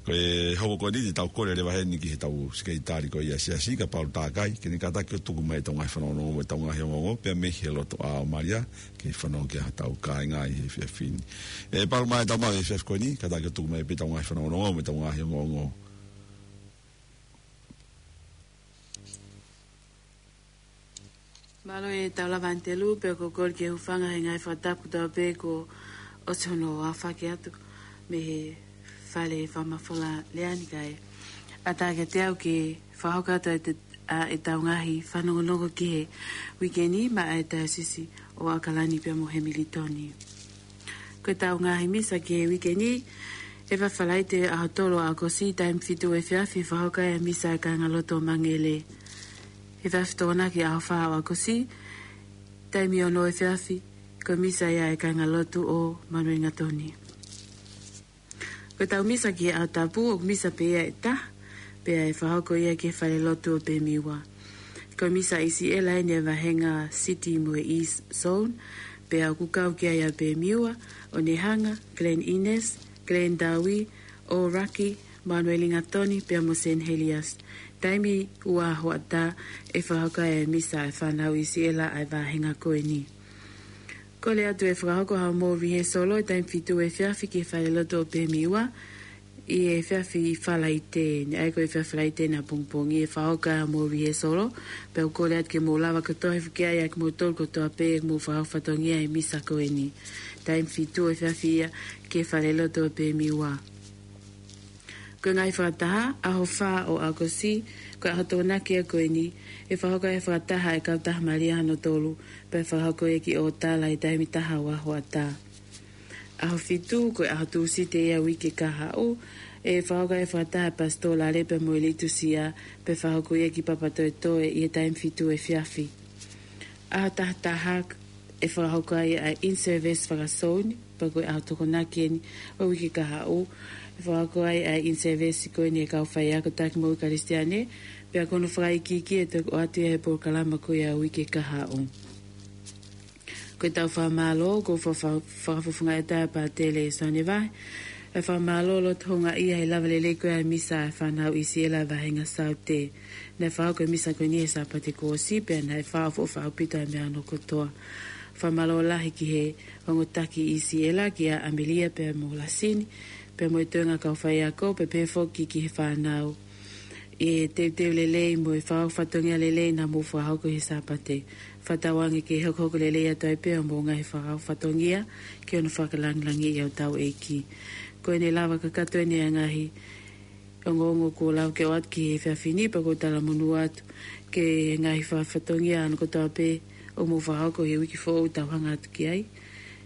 ko e hoko ko eni te tau kole leva heni ki heʻetau sekelitali ko ia ʻa e siasi, kia Palu Takai, ke ne kātaki ʻo tuku mai ʻetau ngaahi fanongonongo mo ʻetau ngaahi ongoongo, pea mei he loto ʻa Malia, ke fanongo ki ai hotau kāinga ʻi he efiafi ni. ʻE Palu, mai ʻetau maʻu he efiafi ko eni, kātaki ʻo tuku mai pē ʻetau ngaahi fanongonongo mo ʻetau ngaahi ongoongo. Mālō e Taulava Anitelu, pea ʻoku ou kole ke u hūfanga he ngaahi fakatapu kotoa pē kuo ʻosi hono aofaki atu mei he fale fakamafola lea ni, kae ʻatā kiate au ke fakahoko atu ʻa e te-, ʻa ʻetau ngaahi fanongonongo ki he uike ni maʻa e Taiosisi ʻo ʻAokalani pea mo Hemilitoni. Ko ʻetau ngaahi misa ki he uike ni, efiafi Falaite ʻaho tolu ʻo ʻAokosi, taimi fitu efiafi, fakahoko ai e misa ʻa e kāingalotu ʻo Mangele. Efiafi Tokonaki ʻaho fā ʻo ʻAokosi, taimi ono efiafi, ko e misa ia ʻa e kāingalotu ʻo Manuelingatoni. Ko ʻetau misa ki he ʻaho tapu, ʻoku misa pē ia ʻe taha, pea ʻe fakahoko ia ki he falelotu ʻo Pemiua. Ko e misa ʻi Siʻela ʻeni ʻa e vāhenga City mo e East Zone, pea ʻoku kau ki ai ʻa Pemiua, ʻOnehunga, Glen Innes, Glen Darwin, ʻŌlaki, Manuelingatoni, pea mo Saint Heliers. Taimi ua hoʻatā ʻe fakahoko ai e misa ʻa e fānau ʻi Siʻela ʻa e vāhenga ko eni. Kole atu ʻe fakahoko haʻamou rehearsal ʻi he taimi fitu efiafi ki he falelotu ʻo Pemiua, ʻi he efiafi Falaite ni, ʻa ia ko e efiafi Falaite ni ʻapongipongi ʻe fakahoko ai haʻamou rehearsal, pea ʻoku kole atu ke mou lava kotoa ʻo hifo ki ai ʻa kimoutolu kotoa pē ʻoku mou fakahoko fatongia he misa ko eni. Taimi fitu efiafi ia ki he falelotu ʻo Pemiua. Ko e ngaahi fakataha, ʻaho fā ʻo ʻAokosi, ko e ʻaho Tokonaki ia ko eni, ʻe fakahoko ai e fakataha ʻa e Kautaha Malia hono tolu, pea ʻe fakahoko ia ki ʻŌtala he taimi taha ua hoʻatā. ʻAho fitu, ko e ʻaho Tūsite ia ʻo e uike kahaʻu, ʻe fakahoko ai e fakataha ʻa e Pasitō Lale pea mo e Litusia, pea ʻe fakahoko ia ki Papatoetoe ʻi he taimi fitu efiafi. ʻAho taha taha, ʻe fakahoko ai ʻa e in-service fakasouni, pea ko e ʻaho Tokonaki ʻeni ʻo e uike kahaʻu, ʻe fakahoko ai ʻa e in-service ko eni ʻa e kau faiako taki moʻui Kalisitiane, pea ko hono fakaikiiki ʻe toki ʻoatu ia he polokalama ko ia ʻo e uike kahaʻu. Ko ʻetau fakamālō, ʻoku fa-, fa-, fakafofongaʻi atu ʻa Pātele Soane Vahe, ʻa e fakamālō loto houngaʻia he lava lelei ko ia e misa ʻa e fānau ʻi Siʻela vāhenga Saute. Naʻe fakahoko e misa ko eni he Sāpate kuo ʻosi, pea naʻe fakaʻofoʻofa ʻaupito ʻa e meʻa hono kotoa. Fakamālō lahi ki he ongo taki ʻi Siʻela, kia ʻAmelia pea mo Lasini, pea mo e toenga kau faiako, pea pehē foki ki he fānau ʻi he teuteu lelei mo e fakahoko fatongia lelei naʻa mou fakahoko he Sāpate. Fakatauange ke hokohoko lelei atu ai pē ʻa hoʻomou ngaahi fakahoko fatongia ki hono fakalāngilangiʻi ʻa hotau ʻEiki. Ko ʻene lava kakato ʻeni ʻa e ngaahi ongoongo kuo lava ke ʻoatu ki he efiafi ni, pea ʻoku ou talamonū atu ki he ngaahi fakahoko fatongia hono kotoa pē ʻoku mou fakahoko he uike foʻou ʻoku tau hanga atu ki ai.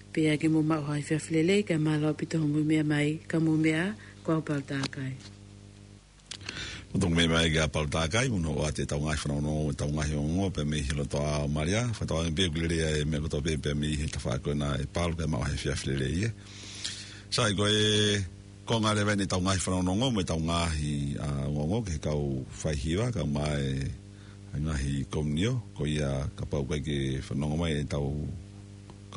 Pea ke mou maʻu ha efiafi lelei, kae mālō ʻaupito hoʻomou meʻa mai, ka mou meʻa, ko au Palu Takai. Mou toki meʻa mai kia Palu Takai, mo hono ʻoatu ʻetau ngaahi fanongonongo, ʻetau ngaahi ongoongo, pea mei he loto ʻa Malia, fakatauange pē ʻoku lelei ʻa e meʻa kotoa pē, pea mei he tafaʻaki ko ena ʻe Palu, kae maʻu ha efiafi lelei ia. Sai, ko e konga leva ʻeni ʻetau ngaahi fanongonongo, mo ʻetau ngaahi, ʻa, ongoongo ki he kau faihiva, kae ʻumaʻā e ngaahi komiunio, ko ia kapau ʻoku ʻikai ke fanongo mai ʻetau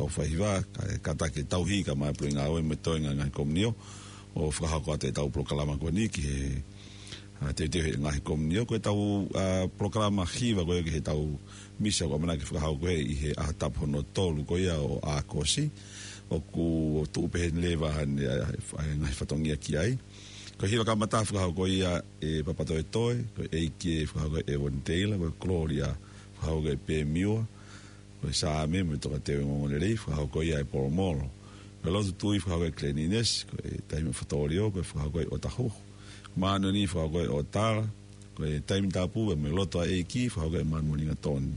kau faiva, ka, kātaki e tauhi kae ʻumaʻā e pule ngāue mo e toenga e ngaahi komiunio, ʻo fakahoko atu ʻetau polokalama ko eni ki he, ʻa, teuteu he ngaahi komiunio. Ko ʻetau, ʻa, polokalama hiva ko ia ki heʻetau misa ʻoku ʻamanaki fakahoko ʻi he ʻaho tapu hono tolu ko ia ʻo ʻAokosi, ʻoku tuʻu pē heni leva ʻa e, ʻa, ʻa e ngaahi fatongia ki ai. Ko e hiva kamata fakahoko ia ʻe Papatoetoe, ko e ʻEiki ē fakahoko ʻe Evoni Teila, ko e Kolōlia fakahoko ʻe Pemiua, ko e Saame mo e Tokateu Ongoongolelei fakahoko ia ʻe Polomolo. Ko e Lotu Tui fakahoko ʻe Kileni Inesi, ko e Taimi ʻo Fatōlio, ko e fakahoko ʻe ʻOtahuhu. Māʻoniʻoni fakahoko ʻe ʻOtala, ko e Taimi Tapu mo e Lotu ʻa e ʻEiki fakahoko ʻe Manumolinga Toni.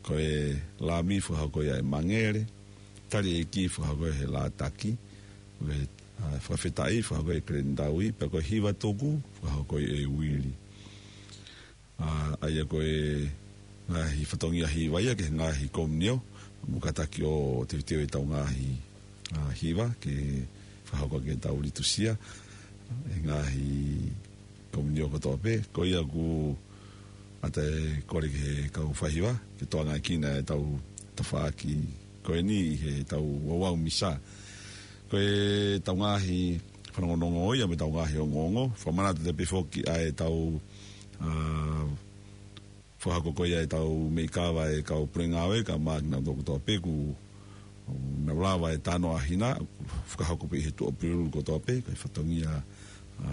Ko e Lami fakahoko ia ʻe Mangele, Tali ʻEiki fakahoko ʻe Lātaki, ko e, ʻa, Fakafetaʻi fakahoko ʻe Kileni Taui, pea ko e Hiva Tuku fakahoko ʻe Uili. ʻA, ʻa ia ko e ngaahi fatongia hiva ia ki he ngaahi komiunio, mo kātaki ʻo teuteu ʻetau ngaahi, ʻa, hiva ke fakahoko ʻaki ʻetau litusia he ngaahi komiunio kotoa pē. Ko ia ʻoku ʻatā e kole ki he kau faiva ke tokangaʻi ʻaki ʻetau tafaʻaki ko eni ʻi heʻetau ouau misa. Ko ʻetau ngaahi fanongonongo ia mo ʻetau ngaahi ongoongo. Fakamanatu atu pē foki ʻa ʻetau, ʻa, fakahoko ko ia ʻetau meʻi kava ʻa e kau pule ngāue kae ʻumaʻā kinautolu kotoa pē ʻoku nau lava e talanoa ʻa Hina, fakahoko pē ʻi he Tuʻapulelulu kotoa pē, ko e fatongia, ʻa,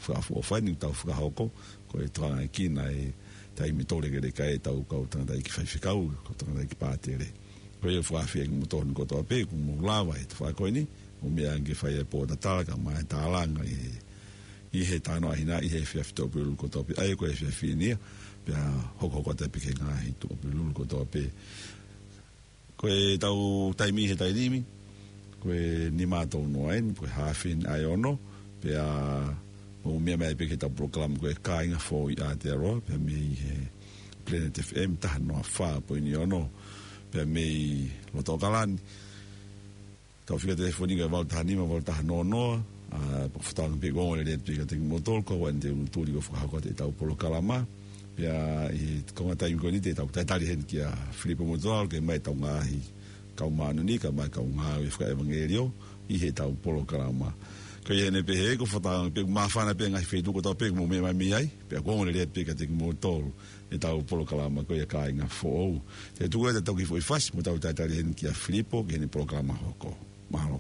fakaʻofoʻofa eni ʻoku tau fakahoko, ko e tokangaʻi ʻaki ʻa e taimi tō lekeleka ʻetau kau tangataʻeiki faifekau, kau tangataʻeiki pātele. Ko ia ʻoku fakaafeʻi kimoutolu kotoa pē, ʻoku mou lava he tafaʻaki ko eni, ʻo meʻa ange ke fai e pōtatala kae ʻumaʻā e tālanga ʻi he, ʻi he talanoa ʻa Hina, ʻi he efiafi Tuʻapulelulu kotoa pē, ʻa ia ko e efiafi ni ia, pea hokohoko atu pē ki he ngaahi Tuʻapulelulu kotoa pē. Ko ʻetau taimi he taimi ni, ko e nima tolu noa eni, ko e haafe eni ʻa e ono, pea mou meʻa mai pē ki heʻetau polokalama ko e Kāinga Foʻou ʻi Aotearoa, pea mei he Planet F M taha noa fā poini ono, pea mei loto ʻAokalani. Tau fika telefoni ko e valu taha nima, valu taha noa noa, ʻa, pea ʻoku ou fakaʻamu pē ʻoku ongo lelei atu pē kiate kimoutolu, kau ai ʻeni te u tuli ko e fakahoko atu ʻetau polokalama. Pea ʻi he konga taimi ko eni te tau talitali heni kia Filipo Motuʻalu ke ʻomai ʻetau ngaahi kau māʻoniʻoni kae ʻumaʻā e kau ngāue fakaʻevangeliō ʻi heʻetau polokalama. Ko ia ʻeni pē he ʻoku ou fakaʻamu pē ʻoku māfana pē ngaahi feituʻu kotoa pē ʻoku mou meʻa mai mei ai, pea ʻoku ongo lelei atu pē kiate kimoutolu ʻetau polokalama ko ia Kāinga Foʻou. Te u tuku atu ʻetau kiʻi foʻi fasi mo tau talitali heni kia Filipo ki heʻene polokalama hoko. Mālō.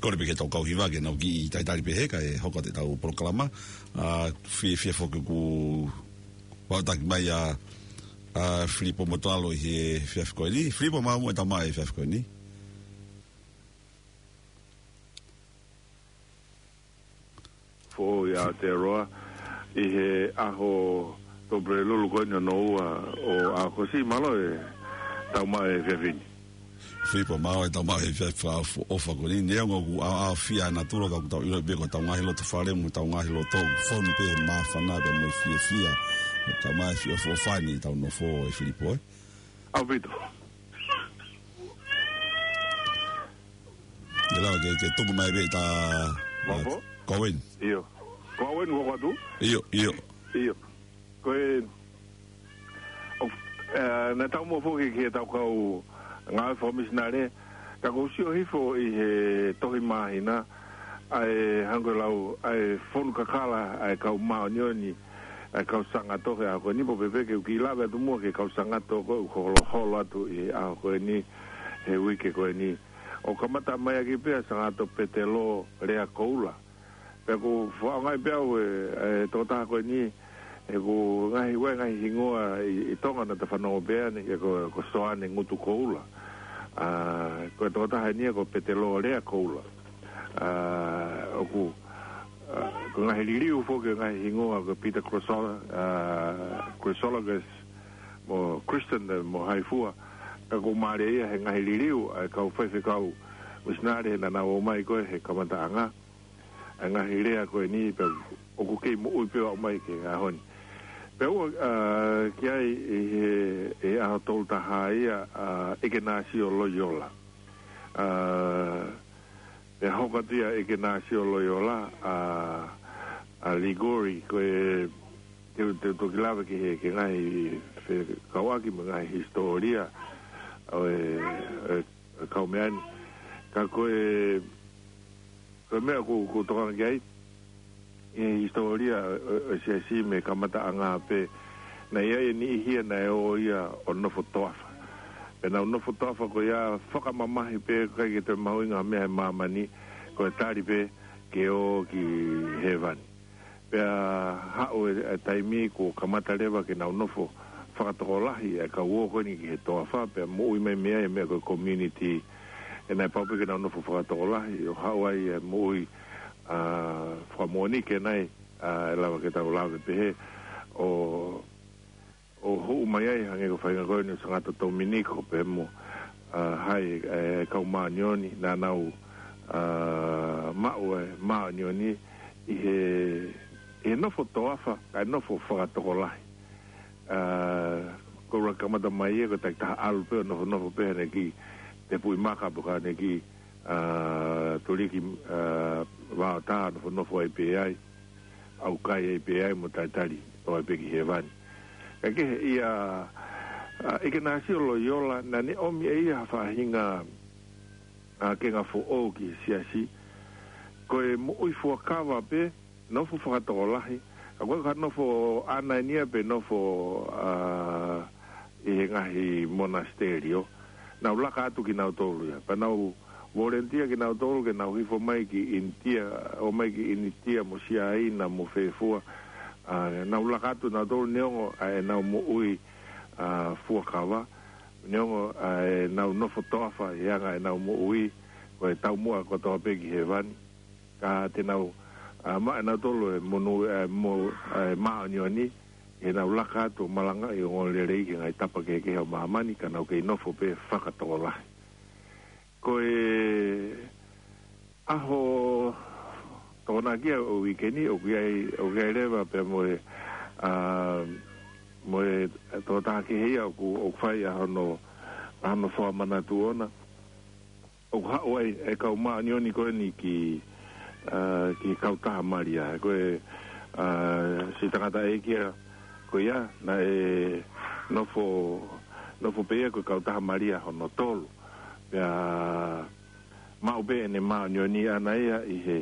Kole pē ke tau kau hiva ke nau kiʻi talitali pē he kae hoko atu ʻetau polokalama. ʻA, fiefia foki ʻoku vaotaki mai ʻa, ʻa Filipo Motalo ʻi he efiafi ko eni. Filipo, maʻu muʻa e tau maʻu e efiafi ko eni. Foʻou ʻi Aotearoa, ʻi he ʻaho Tupulelulu ko eni hono ua ʻo ʻAokosi, mālō e tau maʻu e efiafi ni. Filipo, mālō e tau maʻu e efiafi fakaʻofoʻofa ko eni, neongo ʻoku ʻaoʻaofia ʻa natula ka ʻoku tau ʻilo pē ko ʻetau ngaahi loto fale mo ʻetau ngaahi loto fonu pē he māfana pea mo e fiefia. Tau maʻu e efiafi ʻofoʻofa ni ʻetau nofo ē Filipo ē. ʻAupito. ʻIo, ke, ke tuku mai pē ʻeta, Mapo? Ko Owen. ʻIo. Ko Owen, ko atu? ʻIo, ʻio. ʻIo. Ko e, ʻo, ē, naʻa tau mo foki ki heʻetau kau ngāue fakamisinale, ka ʻoku ou sio hifo ʻi he tohi māhina, ʻa e hangē ko e lau, ʻa e fonu kakala, ʻa e kau māʻoniʻoni, ʻa e kau sangato he ʻaho ko eni, pō pē pē ke u kiʻi lave atu muʻa ki he kau sangato ko ē ʻoku holoholo atu ʻi he ʻaho ko eni, he uike ko eni. ʻO kamata mai ʻaki pē ʻa Sangato Petelo Lea Koula. Pea ʻoku ou fakaʻaongaʻi pē au e, e tokotaha ko eni, he ʻoku ngaahi, ʻoku ngaahi hingoa ʻi, ʻi Tonga naʻa ta fanongo pē ʻeni, he ko, ko Soane Ngutu Koula. ʻA, ko e tokotaha eni ko Petelo Lea Koula. ʻA, ʻoku, ʻa, ko e ngaahi liliu foki e ngaahi hingoa ko Peter Chrysol-, ʻa, Chrysologus mo Crichton mo hai fua. Ka ʻoku mālie ia he ngaahi liliu ʻa e kau faifekau misinale he naʻa nau ō mai ko ē he kamataʻanga. ʻA e ngaahi lea ko eni pea ʻoku kei moʻui pē ʻo aʻu mai ki he ʻaho ni. Pea ʻoku, ʻa, ki ai ʻi he, ʻi he ʻaho tolu taha ia, ʻa, ʻIkenasio Loiola. ʻA, pea hoko atu ia ʻIkenasio Loiola, ʻa, ʻa Ligori, ko e te, te toki lave ki he, ki he ngaahi fekauʻaki mo e ngaahi hisitōlia ʻo e, e, e kau meʻa ni. Ka ko e, ko e meʻa ʻoku, ʻoku ou tokanga ki ai, ʻi he hisitōlia ʻo, ʻo, ʻo e siasi mei he kamataʻanga pē, naʻe ʻi ai e niʻihi ia naʻe ō ia ʻo nofo toafa. Pea nau nofo toafa ko ia fakamamahi pē ʻikai ke toe mahuʻinga ha meʻa he māmani, ko e tali pē ke ō ki hēvani. Pea haʻu e, e taimi kuo kamata leva ke nau nofo fakatokolahi e kau ō ko eni ki he toafa, pea moʻui mai mei ai e meʻa ko e community, ʻe naʻe pau pē ke nau nofo fakatokolahi, ʻo haʻu ai e moʻui, ʻa, fakamoʻoni ke nai, ʻa, ʻe lava ke tau lave pehē, ʻo ʻo hū mai ai, hangē ko e faʻahinga ko eni ʻo Sangato Tominiko pea mo, ʻa, hai, e, kau māʻoniʻoni, naʻa nau, ʻa, maʻu e māʻoniʻoni ʻi he, ʻi he nofo toafa, kae nofo fakatokolahi. ʻA, ko e ʻuluaki kamata mai ia, ko e takitaha ʻalu pē ʻo nofonofo pē ʻene kiʻi tepuʻi maka pe ko ʻene kiʻi, ʻa, tuliki, ʻa, vaotā, nofonofo ai pē ai, ʻaukai ai pē ai mo talitali ʻo aʻu ai pē ki hēvani. Ka kehe ia, ʻa, ʻIkenasio Loiola, naʻa ne ʻomi ʻe ia ha faʻahinga, ʻa, kenga foʻou ki he siasi, ko e moʻui fuakava pē, nofo fakatokolahi, ka ko e ka nofo ʻaʻana eni ia pe nofo, ʻa, ʻi he ngaahi monasiterio, nau laka atu kinautolu ia. Pea nau volunteer kinautolu ke nau hifo mai ki ʻInitia, ō mai ki ʻInitia mo Siaina mo fē fua, ʻa, nau laka atu nautolu neongo ʻa ʻenau moʻui, ʻa, fuakava, neongo ʻa ʻenau nofo toafa ʻi he anga ʻenau moʻui, ko e taumuʻa kotoa pē ki hēvani. Ka te nau, ʻa, maʻu ʻe nautolu e monū, ʻa, mo, ʻa, e māʻoniʻoni, ʻi heʻenau laka atu ʻo malangaʻi ʻo ongoongolelei ki he ngaahi tapa kehekehe ʻo māmani, ka nau kei nofo pē fakatokolahi. Ko e ʻaho Tokonaki ʻo e uike ni, ʻoku ʻi ai, ʻoku ʻi ai leva pea mo e, ʻa, mo e tokotaha kehe ia ʻoku, ʻoku fai ʻa hono, ʻa hono fakamanatu ʻona. ʻOku haʻu ai e kau māʻoniʻoni ko eni ki, ʻa, ki he kautaha Malia. Ko e, ʻa, siʻi tangataʻeiki ia ko ia, naʻe nofo, nofo pē ia ko e kautaha Malia hono tolu. Pea maʻu pē ʻene māʻoniʻoni ʻaʻana ia ʻi he,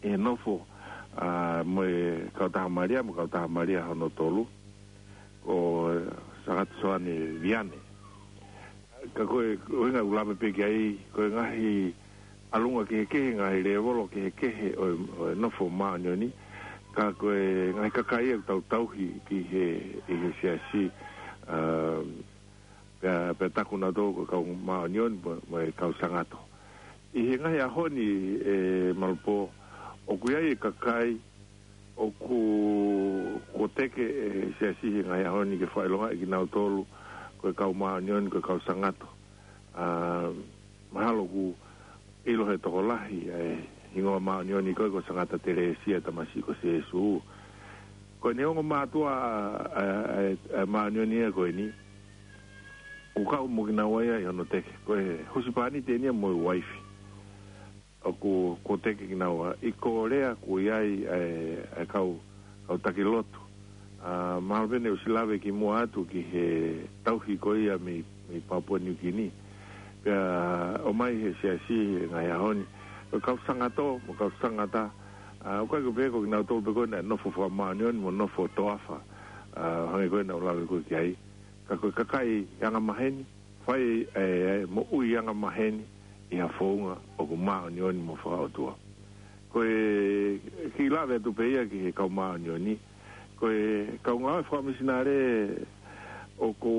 ʻi he nofo, ʻa, mo e kautaha Malia, mo e kautaha Malia hono tolu. Ko Sangato Soane Viane. Ka ko e, ko e ʻuhinga ʻoku ou lave pē ki ai, ko e ngaahi, ʻalunga kehekehe, ngaahi lēvolo kehekehe ʻo e, ʻo e nofo māʻoniʻoni, ka ko e ngaahi kakai ʻoku tau tauhi ki he, ʻi he siasi, ā, pea, pea taku nautolu ko e kau māʻoniʻoni mo, mo e kau sangato. ʻI he ngaahi ʻaho ni, ē, Malupō, ʻoku ʻi ai e kakai ʻoku, ʻoku teke e siasi he ngaahi ʻaho ni ke fakaʻilongaʻi kinautolu ko e kau māʻoniʻoni, ko e kau sangato. Ā, mahalo ʻoku ʻilo he tokolahi ʻa e hingoa māʻoniʻoni ko ē ko Sangata Telesia, tamasiʻi ko Sēsū. Ko e neongo mātuʻa ʻa, ʻa, ʻa, ʻa e māʻoniʻoni ia ko eni, ʻoku kau mo kinaua ia ʻi hono teke. Ko e husepāniti eni ia mo e uaifi ʻoku, ʻoku teke kinaua. ʻI Kōlea ʻoku ʻi ai ʻa e, ʻa e kau, kau taki lotu. Ā, mahalo pē ne u ʻosi lave kimuʻa atu ki he tauhi ko ia mei, mei Papua Niu Kini. Pea ʻomai he siasi he ngaahi ʻaho ni ko e kau sangato mo e kau sangata. Ā, ʻoku ʻikai ko e pehē ko kinautolu pē ko ē naʻe nofo fakamāʻoniʻoni mo nofo toafa, ā, hangē ko ē naʻa ku lave ko ē ki ai. Ka ko e kakai angamaheni, fai e, e moʻui angamaheni ʻi ha founga ʻoku māʻoniʻoni mo fakaʻotua. Ko e kiʻi lave atu pē ia ki he kau māʻoniʻoni, ko e kau ngāue fakamisinale ʻoku,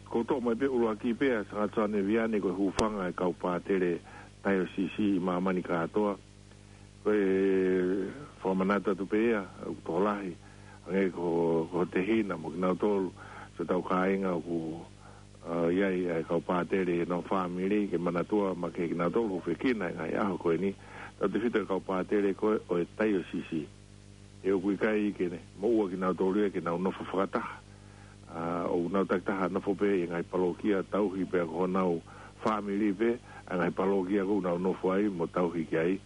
ʻoku toʻo mai pē ʻuluaki pē ʻa Sangata Soane Viane ko e hūfanga e kau pātele taiosisi ʻi māmani kātoa. Ko e fakamanatu atu pē ia, ʻoku tokolahi, hangē ko, ko Tehina mo kinautolu, siʻotau kāinga ʻoku, ā, ʻi ai ʻa e kau pātele ʻi honau fāmili, ke manatua makehe kinautolu, hūfekina he ngaahi ʻaho ko eni, tautefito e kau pātele ko ē ʻo e taiosisi. He ʻoku ʻikai ke ne moʻua kinautolu ia ke nau nofo fakataha. Ā, ʻoku nau takitaha nofo pē ʻi he ngaahi palokia, tauhi pē ʻaki honau fāmili pē ʻa e ngaahi palokia ʻoku nau nofo ai mo tauhi ki ai.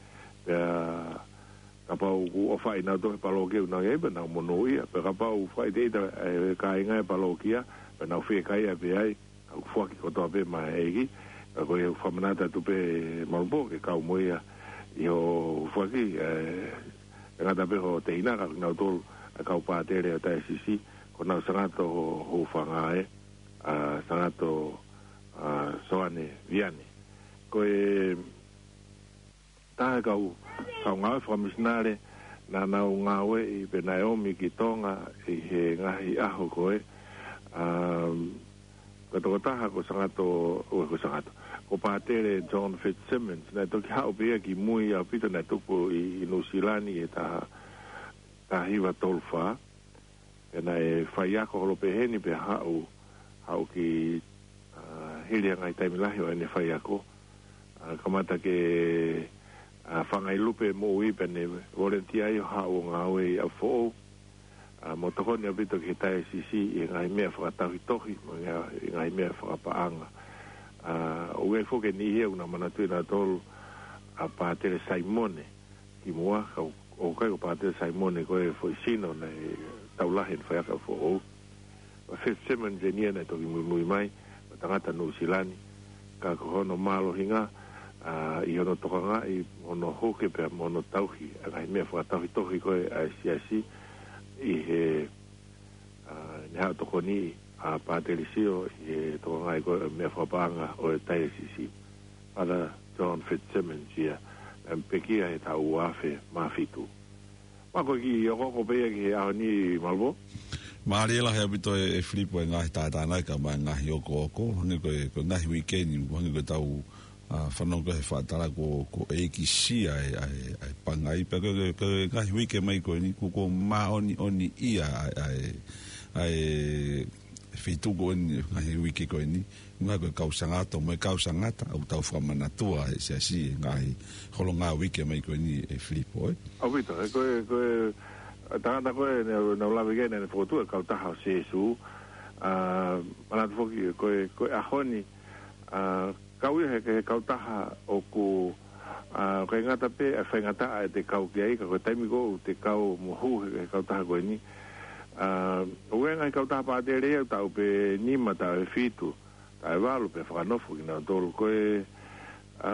Pea kapau ʻoku ʻofaʻi nautolu he palokia ʻoku nau ʻi ai, pea nau monūʻia. Pea kapau ʻoku faʻa ʻita e kāinga e palokia, pea nau fiekaia pē ai, ʻoku foaki kotoa pē maʻa e ʻEiki. Ka ko e fakamanatu atu pē, Malupō, ke kau mo ia ʻi hoʻo foaki, ē, ʻe ngata pē hoʻo Tehina, ka ko kinautolu ʻa e kau pātele ʻo e taiosisi, ko honau sangato ho-, hūfanga ē, ā, Sangata, ā, Soane Viane. Ko e taha e kau, kau ngāue fakamisinale naʻa nau ngāueʻi pea naʻe ʻomi ki Tonga ʻi he ngaahi ʻaho ko ē, ā, ko e tokotaha ko Sangata, ʻo, ko Sangata, ko Pātele John Fitzsimmons, naʻe toki haʻu pē ia kimui ʻaupito, naʻe tupu ʻi, ʻi Nuʻusila ʻi he taha, taha hiva tolu fā. Pea naʻe faiako holo pē heni pea haʻu, haʻu ki, ā, hili ha ngaahi taimi lahi ʻo ʻene faiako. Ā, kamata ke, ā, fanga ʻi lupe moʻui pea ne volunteer ai ʻo haʻu ʻo ngāue ʻi ʻApifoʻou. Ā, mo tokoni ʻaupito ki he taiosisi ʻi he ngaahi meʻa fakatauhitohi, mo e ngaahi, ngaahi meʻa fakapaʻanga. Ā, ʻoku ʻi ai foki e niʻihi ia ʻoku nau manatuʻi nautolu ʻa Pātele Saimone kimuʻa, ka ʻoku ʻikai ko Pātele Saimone ko e foʻi sino naʻe tau lahi ʻene faiako ʻi ʻApifoʻou. Ko Fitzsimmons eni ia naʻe toki muimui mai, ko e tangata Nuʻusila, ka ko hono mālohinga, ā, ʻi hono tokangaʻi, hono huke pea mo hono tauhi ʻa e ngaahi meʻa fakatauhitohi ko ē ʻa e siasi ʻi he, ā, ne haʻu tokoni ʻa Pātele Sio ʻi he tokangaʻi ko ē meʻa fakapaʻanga ʻo e taiosisi. Father John Fitzsimmons ia, naʻe pekia he taʻu ua afe mā fitu. Pea ko e kiʻi okooko pē ia ki he ʻaho ni, Malupō. Mālie lahi ʻaupito ē, ē Filipo, e ngaahi tātānaki kae ʻumaʻā e ngaahi okooko, hangē ko e, ko e ngaahi uike ni, hangē ko ʻetau, ā, fanongo ko ē he fakatātā ko, ko e ʻEiki Sia ʻa e, ʻa e, ʻa e pangai, pea ko e, ko e, ko e ngaahi uike mai ko eni, kuo, kuo māʻoniʻoniʻia ʻa e, ʻa e, ʻa e feituʻu ko eni, ngaahi uike ko eni, ngaahi ko e kau sangato, mo e kau sangata, ʻoku tau fakamanatua he siasi, ngaahi holo ngaahi uike mai ko eni, ē Filipo, ē. ʻAupito, ē, ko e, ko e, ā, tangata ko ē, naʻa, naʻa ku lave ki ai, naʻa ne fokotuʻu e kautaha ʻo Sēsū, ā, manatu foki, ko e, ko e ʻaho ni, ā, kau ia he, he kautaha ʻoku, ā, ʻikai ngata pē ʻa e faingataʻa ʻete kau ki ai, ka ko e taimi ko ē ʻoku te kau mo hū he, he kautaha ko eni. Ā, ʻoku ʻi ai e ngaahi kautaha pātele ia ʻoku taʻu pē nima, taʻu ʻe fitu, taʻu ʻe valu pea fakanofo kinautolu. Ko e, ā,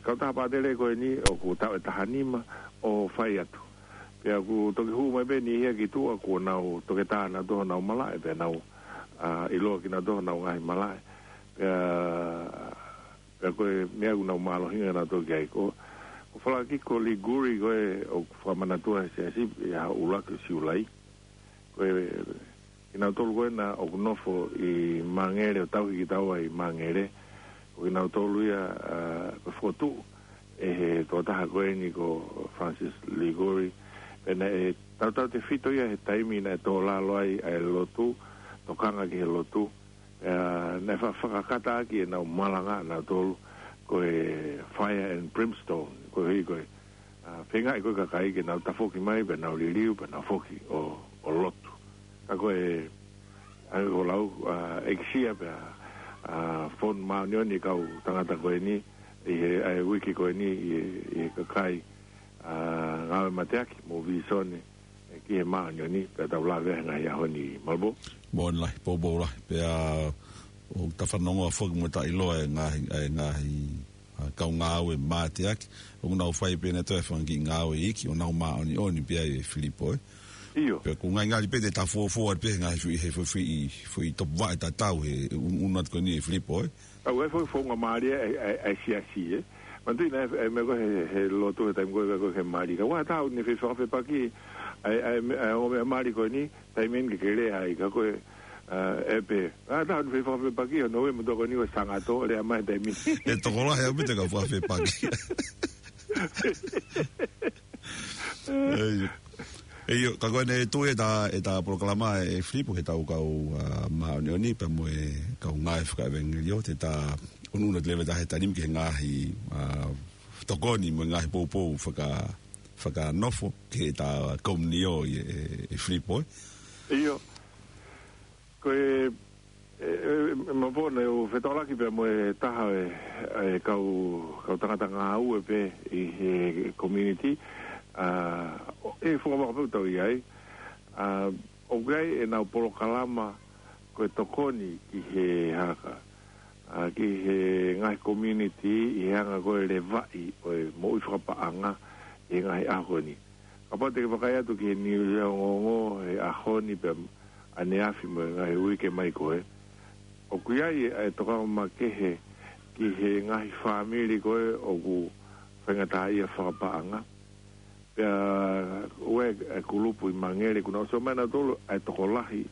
kautaha pātele ko eni ʻoku taʻu ʻe taha nima ʻo fai atu. Pea ʻoku toki hū mai pē niʻihi ia ki tuʻa kuo nau toketā nautolu honau malaʻe, pea nau, ā, ʻiloa kinautolu honau ngaahi malaʻe. Pea, pea ko e meʻa ʻoku nau mālohinga nautolu ki ai ko, Ko Falakiko Liguri ko ē ʻoku fakamanatua he siasi ʻi he ʻuluaki ʻo Siulai. Ko e, kinautolu ko ena ʻoku nofo ʻi Mangere ʻo tauhi kitaua ʻi Mangere. Ko kinautolu ia, ā, ko e fokotuʻu ʻe he tokotaha ko eni ko Francis Liguri. Pea naʻe tautautefito ia he taimi naʻe tō lalo ai ʻa e lotu, tokanga ki he lotu. Ā, naʻe fa-, fakakata ʻaki ʻenau malanga ʻanautolu ko e fire and brimstone, koeʻuhi ko e, ā, feingaʻi ko e kakai ke nau tafoki mai, pea nau liliu, pea nau foki ʻo, ʻo lotu. Ka ko e, ʻa ia ko e lau, ā, ʻekisia pea, ā, fonu māʻoniʻoni kau tangata ko eni, ʻi he, ʻa e uike ko eni, ʻi he, ʻi he kakai, ā, ngāue mateaki mo Vīsone, ē, ki he māʻoniʻoni, pea tau lave he ngaahi ʻaho ni, Malvo. Moʻoni lahi, poupou lahi, pea ʻoku ta fanongo foki mo ta ʻiloa e ngaahi, e ngaahi, ā, kau ngāue mateaki, ʻoku nau fai pē ʻenautolu e fanga kiʻi ngāue iiki, ʻo nau māʻoniʻoni pē ai ē Filipo, ē. ʻIo. Pea ʻoku ngali ngali pē te ta fuofua pē he ngaahi foʻi, he foʻi, foʻi, foʻi topuvaʻe tatau he ʻunuʻunu atu ko eni ē Filipo, ē. Kau e foʻi founga mālie ʻa e, ʻa e, ʻa e siasi, ē. Manatuʻi naʻe, ʻa e meʻa ko ē he, he lotu he taimi ko ē ko ē he mali. Ka ʻoku ʻatā ʻo ne fefakafepaki ʻa e, ʻa e, ʻa e ongo meʻa mali ko eni, taimi eni ke ke lea ai, ka ko e, ā, ʻe pē. ʻOku ʻatā ʻo ne fefakafepaki hono ue mo tokoni ko e sangato, lea mai taimi. ʻE tokolahi ʻaupito e kau fakafepaki. ʻEi. ʻEi, ka ko eni ʻe tui ʻeta, ʻeta polokalama ē Filipo ki heʻetau kau, ā, māʻoniʻoni, pea mo e kau ngāue fakaʻevangeliō, te ta ʻunuʻunu atu leva ʻi he taimi ki he ngaahi, ā, tokoni mo e ngaahi poupou faka-, fakanofo ki heʻeta komiunitī ē, ē, ē Filipo, ē. ʻIo. Ko e, e, e, e, Malvo, naʻa ku fetaulaki pea mo e taha e, e kau, kau tangata ngāue pē ʻi he community, ā, ʻo, ʻi he funga vaka pē ʻoku tau ʻi ai, ā, ʻoku ʻi ai ʻenau polokalama ko e tokoni ki he haka, ā, ki he ngaahi community ʻi he anga ko e levaʻi ʻo e moʻui fakapaʻanga ʻi he ngaahi ʻaho ko eni. Kapau te ke vakai atu ki he niusi ongoongo he ʻaho ni pea ʻaneafi mo e ngaahi uike mai ko ē, ʻoku ʻi ai e, e tokanga makehe ki he ngaahi fāmili ko ē ʻoku faingataʻaʻia fakapaʻanga. Pea ʻoku ʻi ai e kulupu ʻi Mangere kuo nau ʻosi ʻomai ʻenautolu ʻa e tokolahi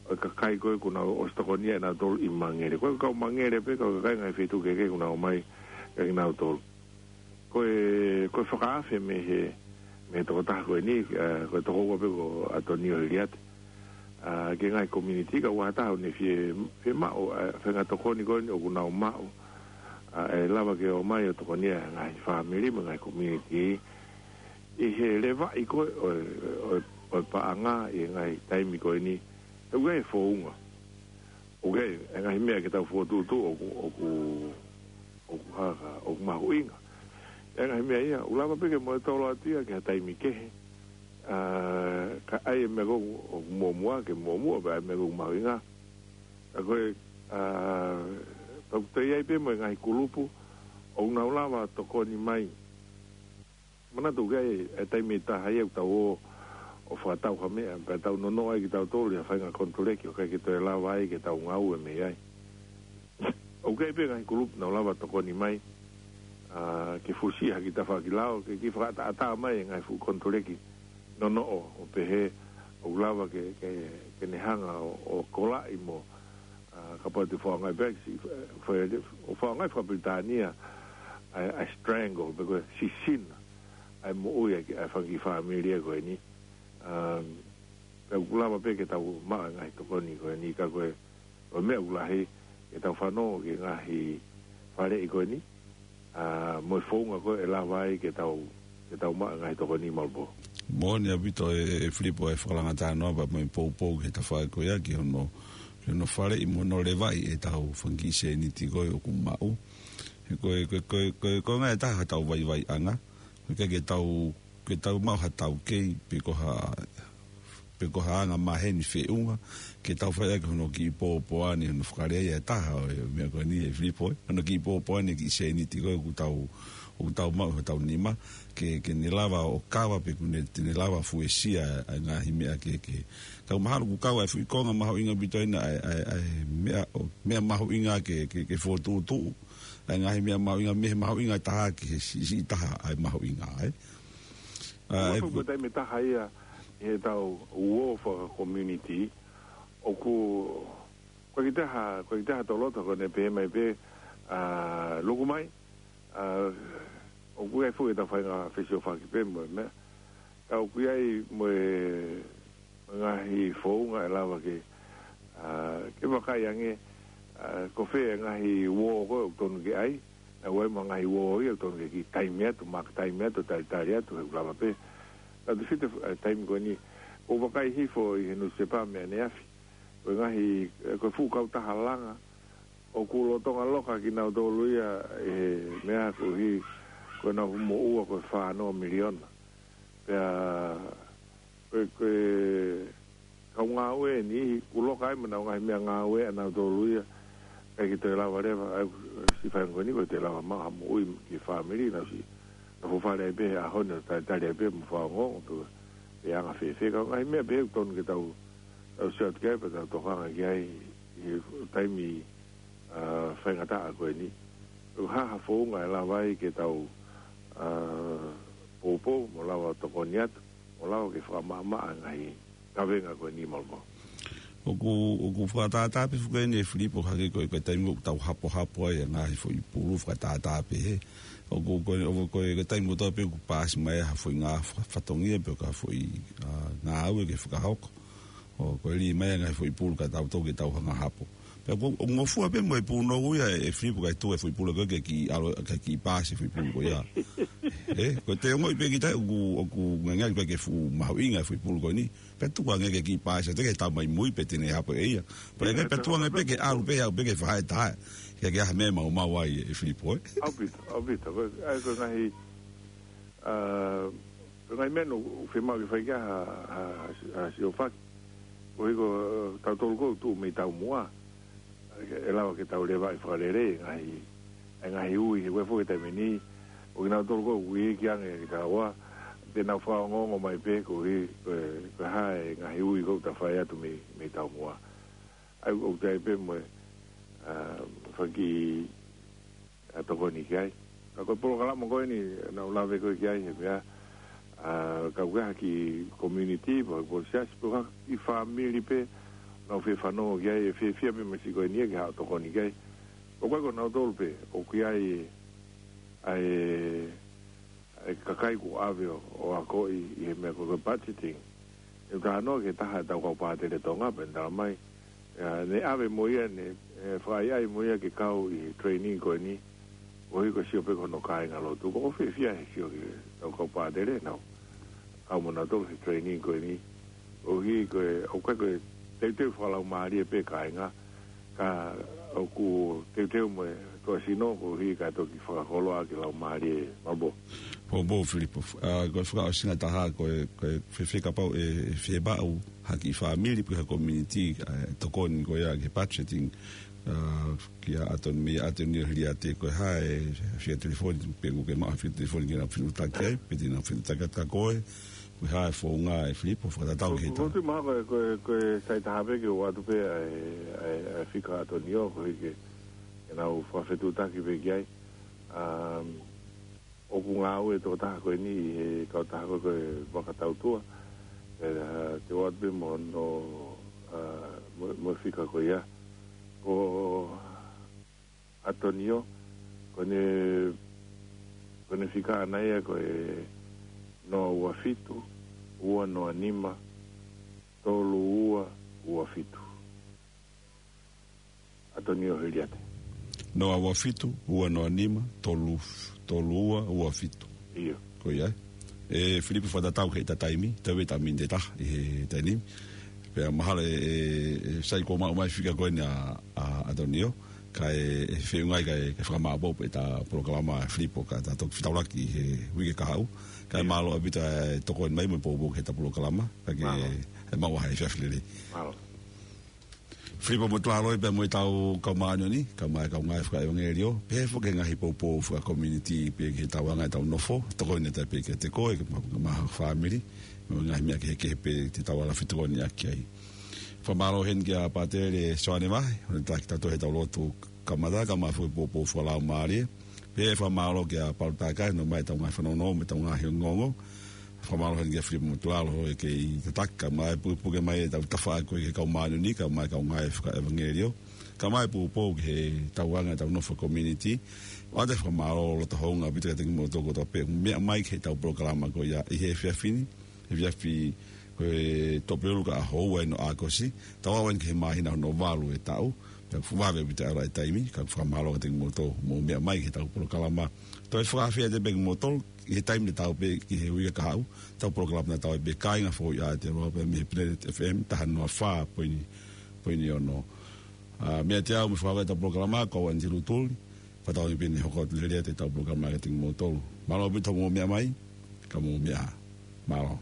ʻo e kakai ko ē kuo nau ʻosi tokonia ʻenautolu ʻi Mangere. Ko e kau Mangere pē, kau kakai ngaahi feituʻu kehekehe kuo nau ʻomai kia kinautolu. Ko e, ko e fakaafe mei he, mei he tokotaha ko eni, ā, ko e tokoua pē ko ʻAtonio Hiliate. Ā, ki he ngaahi community, ka ʻoku ʻatā ʻo ne fie, fiemaʻu, ā, faʻahinga tokoni ko eni ʻoku nau maʻu, ā, ʻe lava ke ō mai ʻo tokonia e ngaahi fāmili mo e ngaahi community ʻi he levaʻi ko ē ʻo, ʻo, ʻo e paʻanga ʻi he ngaahi taimi ko eni. ʻOku ʻi ai e founga. ʻOku ʻi ai e ngaahi meʻa ke tau fokotuʻutuʻu ʻoku, ʻoku, ʻoku haka, ʻoku mahuʻinga. ʻI ai e ngaahi meʻa ia, ʻoku lava pē ke moʻui tolo atu ia ki ha taimi kehe. Ā, ka ʻi ai e meʻa ko ē ʻoku muʻomuʻa, ke muʻomuʻa, pea ʻi ai e meʻa ko ē ʻoku mahuʻinga. Ka ko e, ā, pea ʻoku toe ʻi ai pē mo e ngaahi kulupu ʻoku nau lava tokoni mai. Manatu ʻoku ʻi ai e taimi ʻe taha ia ʻoku tau ō ʻo fakatau ha meʻa, pea tau nonoʻo ai kitautolu ʻi ha faʻahinga konituleki ʻoku ʻikai ke toe lava ai ke tau ngāue mei ai. ʻOku ʻi ai pē ngaahi kulupu naʻa nau lava tokoni mai, ā, ke fusi ha kiʻi tafaʻaki lao, ke kiʻi fakaʻataʻatā mai e ngaahi fuʻu konituleki nonoʻo ʻo pehē ʻoku lava ke, ke, ke ne hanga ʻo, ʻo kolaʻi mo, ā, kapau te u fakaʻaongaʻi pē, si-, fa-, ʻo fakaʻaongaʻi fakapilitānia ʻa e, ʻa e strangle, pe ko e sisina ʻa e moʻui ʻa e, ʻa e fanga kiʻi fāmili ko eni. Ā, pea ʻoku lava pē ke tau maʻu e ngaahi tokoni ko eni, ka ko e, ko e meʻa ʻoku lahi ke tau fanongo ki he ngaahi faleʻi ko eni, ā, mo e founga ko ē ʻe lava ai ke tau, ke tau maʻu e ngaahi tokoni, Malvo. Moʻoni ʻaupito ē, ē Filipo, e fakalanga talanoa pea mo e poupou ki he tafaʻaki ko ia, ki hono, ki hono faleʻi mo hono levaʻi ʻetau fanga kiʻi sēniti ko ē ʻoku maʻu. He ko e, ko e, ko e, ko e, ko e ngaahi taha ʻetau vaivaiʻanga. Ko e ʻikai ke tau, ke tau maʻu ha taukei, pe ko ha, pe ko ha anga maheni feʻunga, ke tau fai ʻaki hono kiʻi pōpoaki, hono fakalea ia e taha ʻo e meʻa ko eni ē Filipo, ē. Hono kiʻi pōpoaki e kiʻi sēniti ko ē ʻoku tau, ʻoku tau maʻu ʻi hotau nima, ke, ke ne lava ʻo kava pe ʻoku ne, te ne lava fuesia ʻa e ngaahi meʻa kehekehe. Ka ʻoku mahalo ʻoku kau ʻa e fuʻu konga mahuʻinga ʻaupito ena ʻa e, ʻa e, ʻa e meʻa, ʻo, meʻa mahuʻinga ke, ke, ke fokotuʻutuʻu. ʻa e ngaahi meʻa mahuʻinga, mei he mahuʻinga taha ki he siʻisiʻi taha ʻa e mahuʻinga, ē. ʻA, ʻoku ʻe ʻi ai pē taimi taha ia, ʻi heʻetau uō faka-community, ʻoku, ʻoku ʻikai ke toe ha, ʻoku ʻikai ke toe ha toloto ko ʻene pehē mai pē, ʻa, luku mai, ʻa, ʻoku ʻi ai foki ʻetau faʻahinga fesiofaki pē mo e meʻa. Ka ʻoku ʻi ai mo e ngaahi founga ʻe lava ke, ʻa, ke vakai ange, ʻa, ko fē e ngaahi uō ko ē ʻoku tonu ke ʻai, naʻa ʻoku ʻi ai mo e ngaahi uō ia ʻoku tonu ke kiʻi taimi atu, mark time atu, talitali atu, he ʻoku lava pē. Ka te fite, ʻa, taimi ko eni, ʻoku vakai hifo ʻi he nusisepa meʻa neafi. Ko e ngaahi, ʻe, ko e fuʻu kautaha langa, ʻoku lolotonga loka kinautolu ia ʻe he meʻa koeʻuhi ko ʻenau moʻua ko e fā noa miliona. Pea ko e, ko e kau ngāue ʻe niʻihi, ʻoku loka ai mo ʻenau ngaahi meʻangāue ʻanautolu ia, ʻikai ke toe lava leva, ʻa e siʻi faʻahinga ko eni ʻoku ʻikai toe lava maʻu ha moʻui ki he fāmili, nau siʻi, nau fuofua lea pē he ʻaho ni ʻo talitali ai pē mo fakaongoongo pe ʻe anga fēfē. Ka ko e ngaahi meʻa pehē ʻoku tonu ke tau, tau sio atu ki ai, pea tau tokanga ki ai ʻi he taimi, ʻa, faingataʻa ko eni. ʻOku ʻi ai ha founga ʻe lava ai ke tau, ʻa, poupou, mo lava tokoni atu, mo lava ke fakamaʻamaʻa e ngaahi kavenga ko eni, Malcolm. ʻOku, ʻoku fakatātā pē foki eni ʻe Filipo hangē ko e, ko e taimi ʻoku tau hapohapo ai e ngaahi foʻi pulu fakatātā pē he. ʻOku, ko e, ʻoku, ko e, ko e taimi kotoa pē ʻoku paasi mai ha foʻi ngaahi fa-, fatongia pe ko ha foʻi, ʻa, ngāue ke fakahoko. ʻO ko e lī mai e ngaahi foʻi pulu ka tau toki tau hanga hapo. Pea ʻoku, ʻoku ngofua pē mo e pulu noa ia ʻe Filipo kae tuku e foʻi pulu ko ē ke kiʻi ʻalu, ke kiʻi paasi e foʻi pulu ko ia. Ē, ko e te ongoʻi pē kita ʻoku, ʻoku ngangiali pē ke fuʻu mahuʻinga e foʻi pulu ko eni. Pea tuku ange ke kiʻi paasi, te ke tau mai mui pē te ne hapo ʻe ia. Pea ʻikai pē tuku ange pē ke ʻalu pē, ʻalu pē ke fahaetae. Ke ke ʻai ha meʻa maumau ai ʻe Filipo, ē. ʻAupito, ʻaupito. Ko e, ʻa e ko e ngaahi, ʻa, ko e ngaahi meʻa ʻoku fiemaʻu ke fai ki ai ha, ha, ha siofaki. Koeʻuhi ko, ʻa, tautolu ʻoku tuʻu mei taumuʻa. ʻE lava ke tau levaʻi fakalelei e ngaahi, e ngaahi ui, he ko e foʻi taimi ni, ʻoku kinautolu ʻoku ui ki ange ki taua, te nau fakaongoongo mai pē koeʻuhi, ko e, ko e hā e ngaahi ui ʻoku ta fai atu mei, mei taumuʻa. ʻA ia ʻoku ʻi ai pē mo e, ʻa, faki, ʻa, tokoni ki ai. Ka ko e polokalama ko eni, naʻa ku lave ko ē ki ai, he meʻa, ʻa, ka ʻoku ʻi ai ha kiʻi community, pe ko e siasi, pe ko ha kiʻi fāmili pē, naʻa nau fie fanongo ki ai, ʻe fiefia pē mo e siʻi ko eni ke haʻu ʻo tokoni ki ai. ʻOku ʻikai ko nautolu pē, ʻoku ʻi ai, ʻa e, ʻa e kakai kuo ʻave ʻo, ʻo akoʻi ʻi he meʻa ko e, ko e budgeting. ʻE talanoa ki he taha ʻetau kau pātele Tonga pea ne tala mai. ʻA, ne ʻave mo ia, ne, ʻe, fakaʻaiʻai mo ia ke kau ʻi he training ko eni. Koeʻuhi ko e sio pē ki hono kāingalotu. ʻOku ou fiefia he sio ki heʻetau kau pātele, nau kau mo nautolu he training ko eni. Koeʻuhi ko e, ʻoku ʻikai ko e teuteu fakalaumālie pē kāinga. Ka ʻoku teuteu mo e tuʻasino koeʻuhi kae toki fakakoloa ki he laumālie, Malcolm. Poupou Filipo, ʻa, ko e fakaʻosinga taha ko e, ko e fēfē kapau ʻe, ʻe fiemaʻu ha kiʻi fāmili pe ha community, ʻa, tokoni ko ia ki he budgeting, ʻa, kia ʻAtoni-, meia ʻAtonio Hiliate, ko e hā e fika telefoni, pe ʻoku ke maʻu ha fika telefoni ke nau fetuʻutaki ai, pe te nau fetuʻutaki atu kia koe, ko e hā e founga ʻe Filipo, fakatatau ki he Ko, ko, ko e tui mahalo ko e, ko e, ko e sai taha pē ke ʻoatu pē ʻa e, ʻa e, ʻa e fika ʻa ʻAtonio, koeʻuhi ke, ke nau fakafetuʻutaki pē ki ai. Um, ʻoku ngāue e tokotaha ko eni ʻi he kautaha ko ē ko e Vaka Tautua. ʻE, ʻa, te u ʻoatu pē mo hono, ʻa, mo, mo e fika ko ia. Ko ʻAtonio, ko ʻene, ko ʻene fika ʻaʻana ia ko e noa ua fitu, ua noa nima, tolu ua ua fitu. ʻAtonio Hiliate. Noa ua fitu, ua noa nima, tolu, tolu ua ua fitu. ʻIo. Ko ia. ʻE Filipo, fakatatau ki heʻeta taimi, tau ʻi he taimi ʻe taha ʻi he taimi ni. Pea mahalo ʻe, ʻe, ʻe sai kuo maʻu mai e fika ko eni ʻa, ʻa ʻAtonio, kae, ʻe feʻunga ai kae, kae fakamaʻopoʻopo ʻeta polokalama ʻe Filipo, ka ta toki fetaulaki he uike kahaʻu. Kae mālō ʻaupito e tokoni mai mo e poupou ki heʻeta polokalama, kae ke, ʻe maʻu ha efiafi lelei. Mālō. Filipo Motuʻaloʻi pea mo ʻetau kau māʻoniʻoni, kau mai kau ngāue fakaʻevangeliō, pehē foki ki he ngaahi poupou faka-community, pea ki he tauʻanga ʻetau nofo, tokoni atu pē kiate koe, ke ma-, ma-, fāmili, mo e ngaahi meʻa kehekehe pē te tau ala fetokoniʻaki ai. Fakamālō heni kia Pātele Soane Vahe, ʻo ne taki tautolu heʻetau lotu kamata, kae ʻumaʻā foki e poupou fakalaumālie. Pea fakamālō kia Palu Takai, ʻomai ʻetau ngaahi fanongo, mo ʻetau ngaahi ongoongo. Fakamālō heni kia Filipa Motulalo, ʻoku kei tataki, kae ʻumaʻā e pukepuke mai ʻetau tafaʻaki ko ē ki he kau māʻoniʻoni, kae ʻumaʻā e kau ngāue fakaʻevangeliō. Kae ʻumaʻā e poupou ki he tauʻanga ʻetau nofo community. ʻOatu e fakamālō loto houngaʻia ʻaupito kiate kimoutolu kotoa pē ʻoku mou meʻa mai ki heʻetau polokalama ko ia ʻi he efiafi ni. Efiafi ko e Tuʻapulelulu kae ʻoua ʻe ʻi ai hano ʻākosi. Tau aʻu eni ki he māhina hono valu e taʻu. Pea ʻoku vave ʻaupito e ʻalu ʻa e taimi, kae fakamālō kiate kimoutolu ʻoku mou meʻa mai ki heʻetau polokalama. Toe fakaafeʻi atu pē kimoutolu, ʻi he taimi tatau pē ki he uike kahaʻu, ʻetau polokalama tatau ai pē, Kāinga Foʻou ʻi Aotearoa, pea mei he Planet F M, taha noa fā poini, poini ono. ʻA, meiate au mo e fakaava ʻetau polokalama, ko au Anti Lutuli, fakatauange pē ʻe hoko atu lelei atu ʻetau polokalama kiate kimoutolu. Mālō ʻaupito hoʻomou meʻa mai, ka mou meʻa ā. Mālō.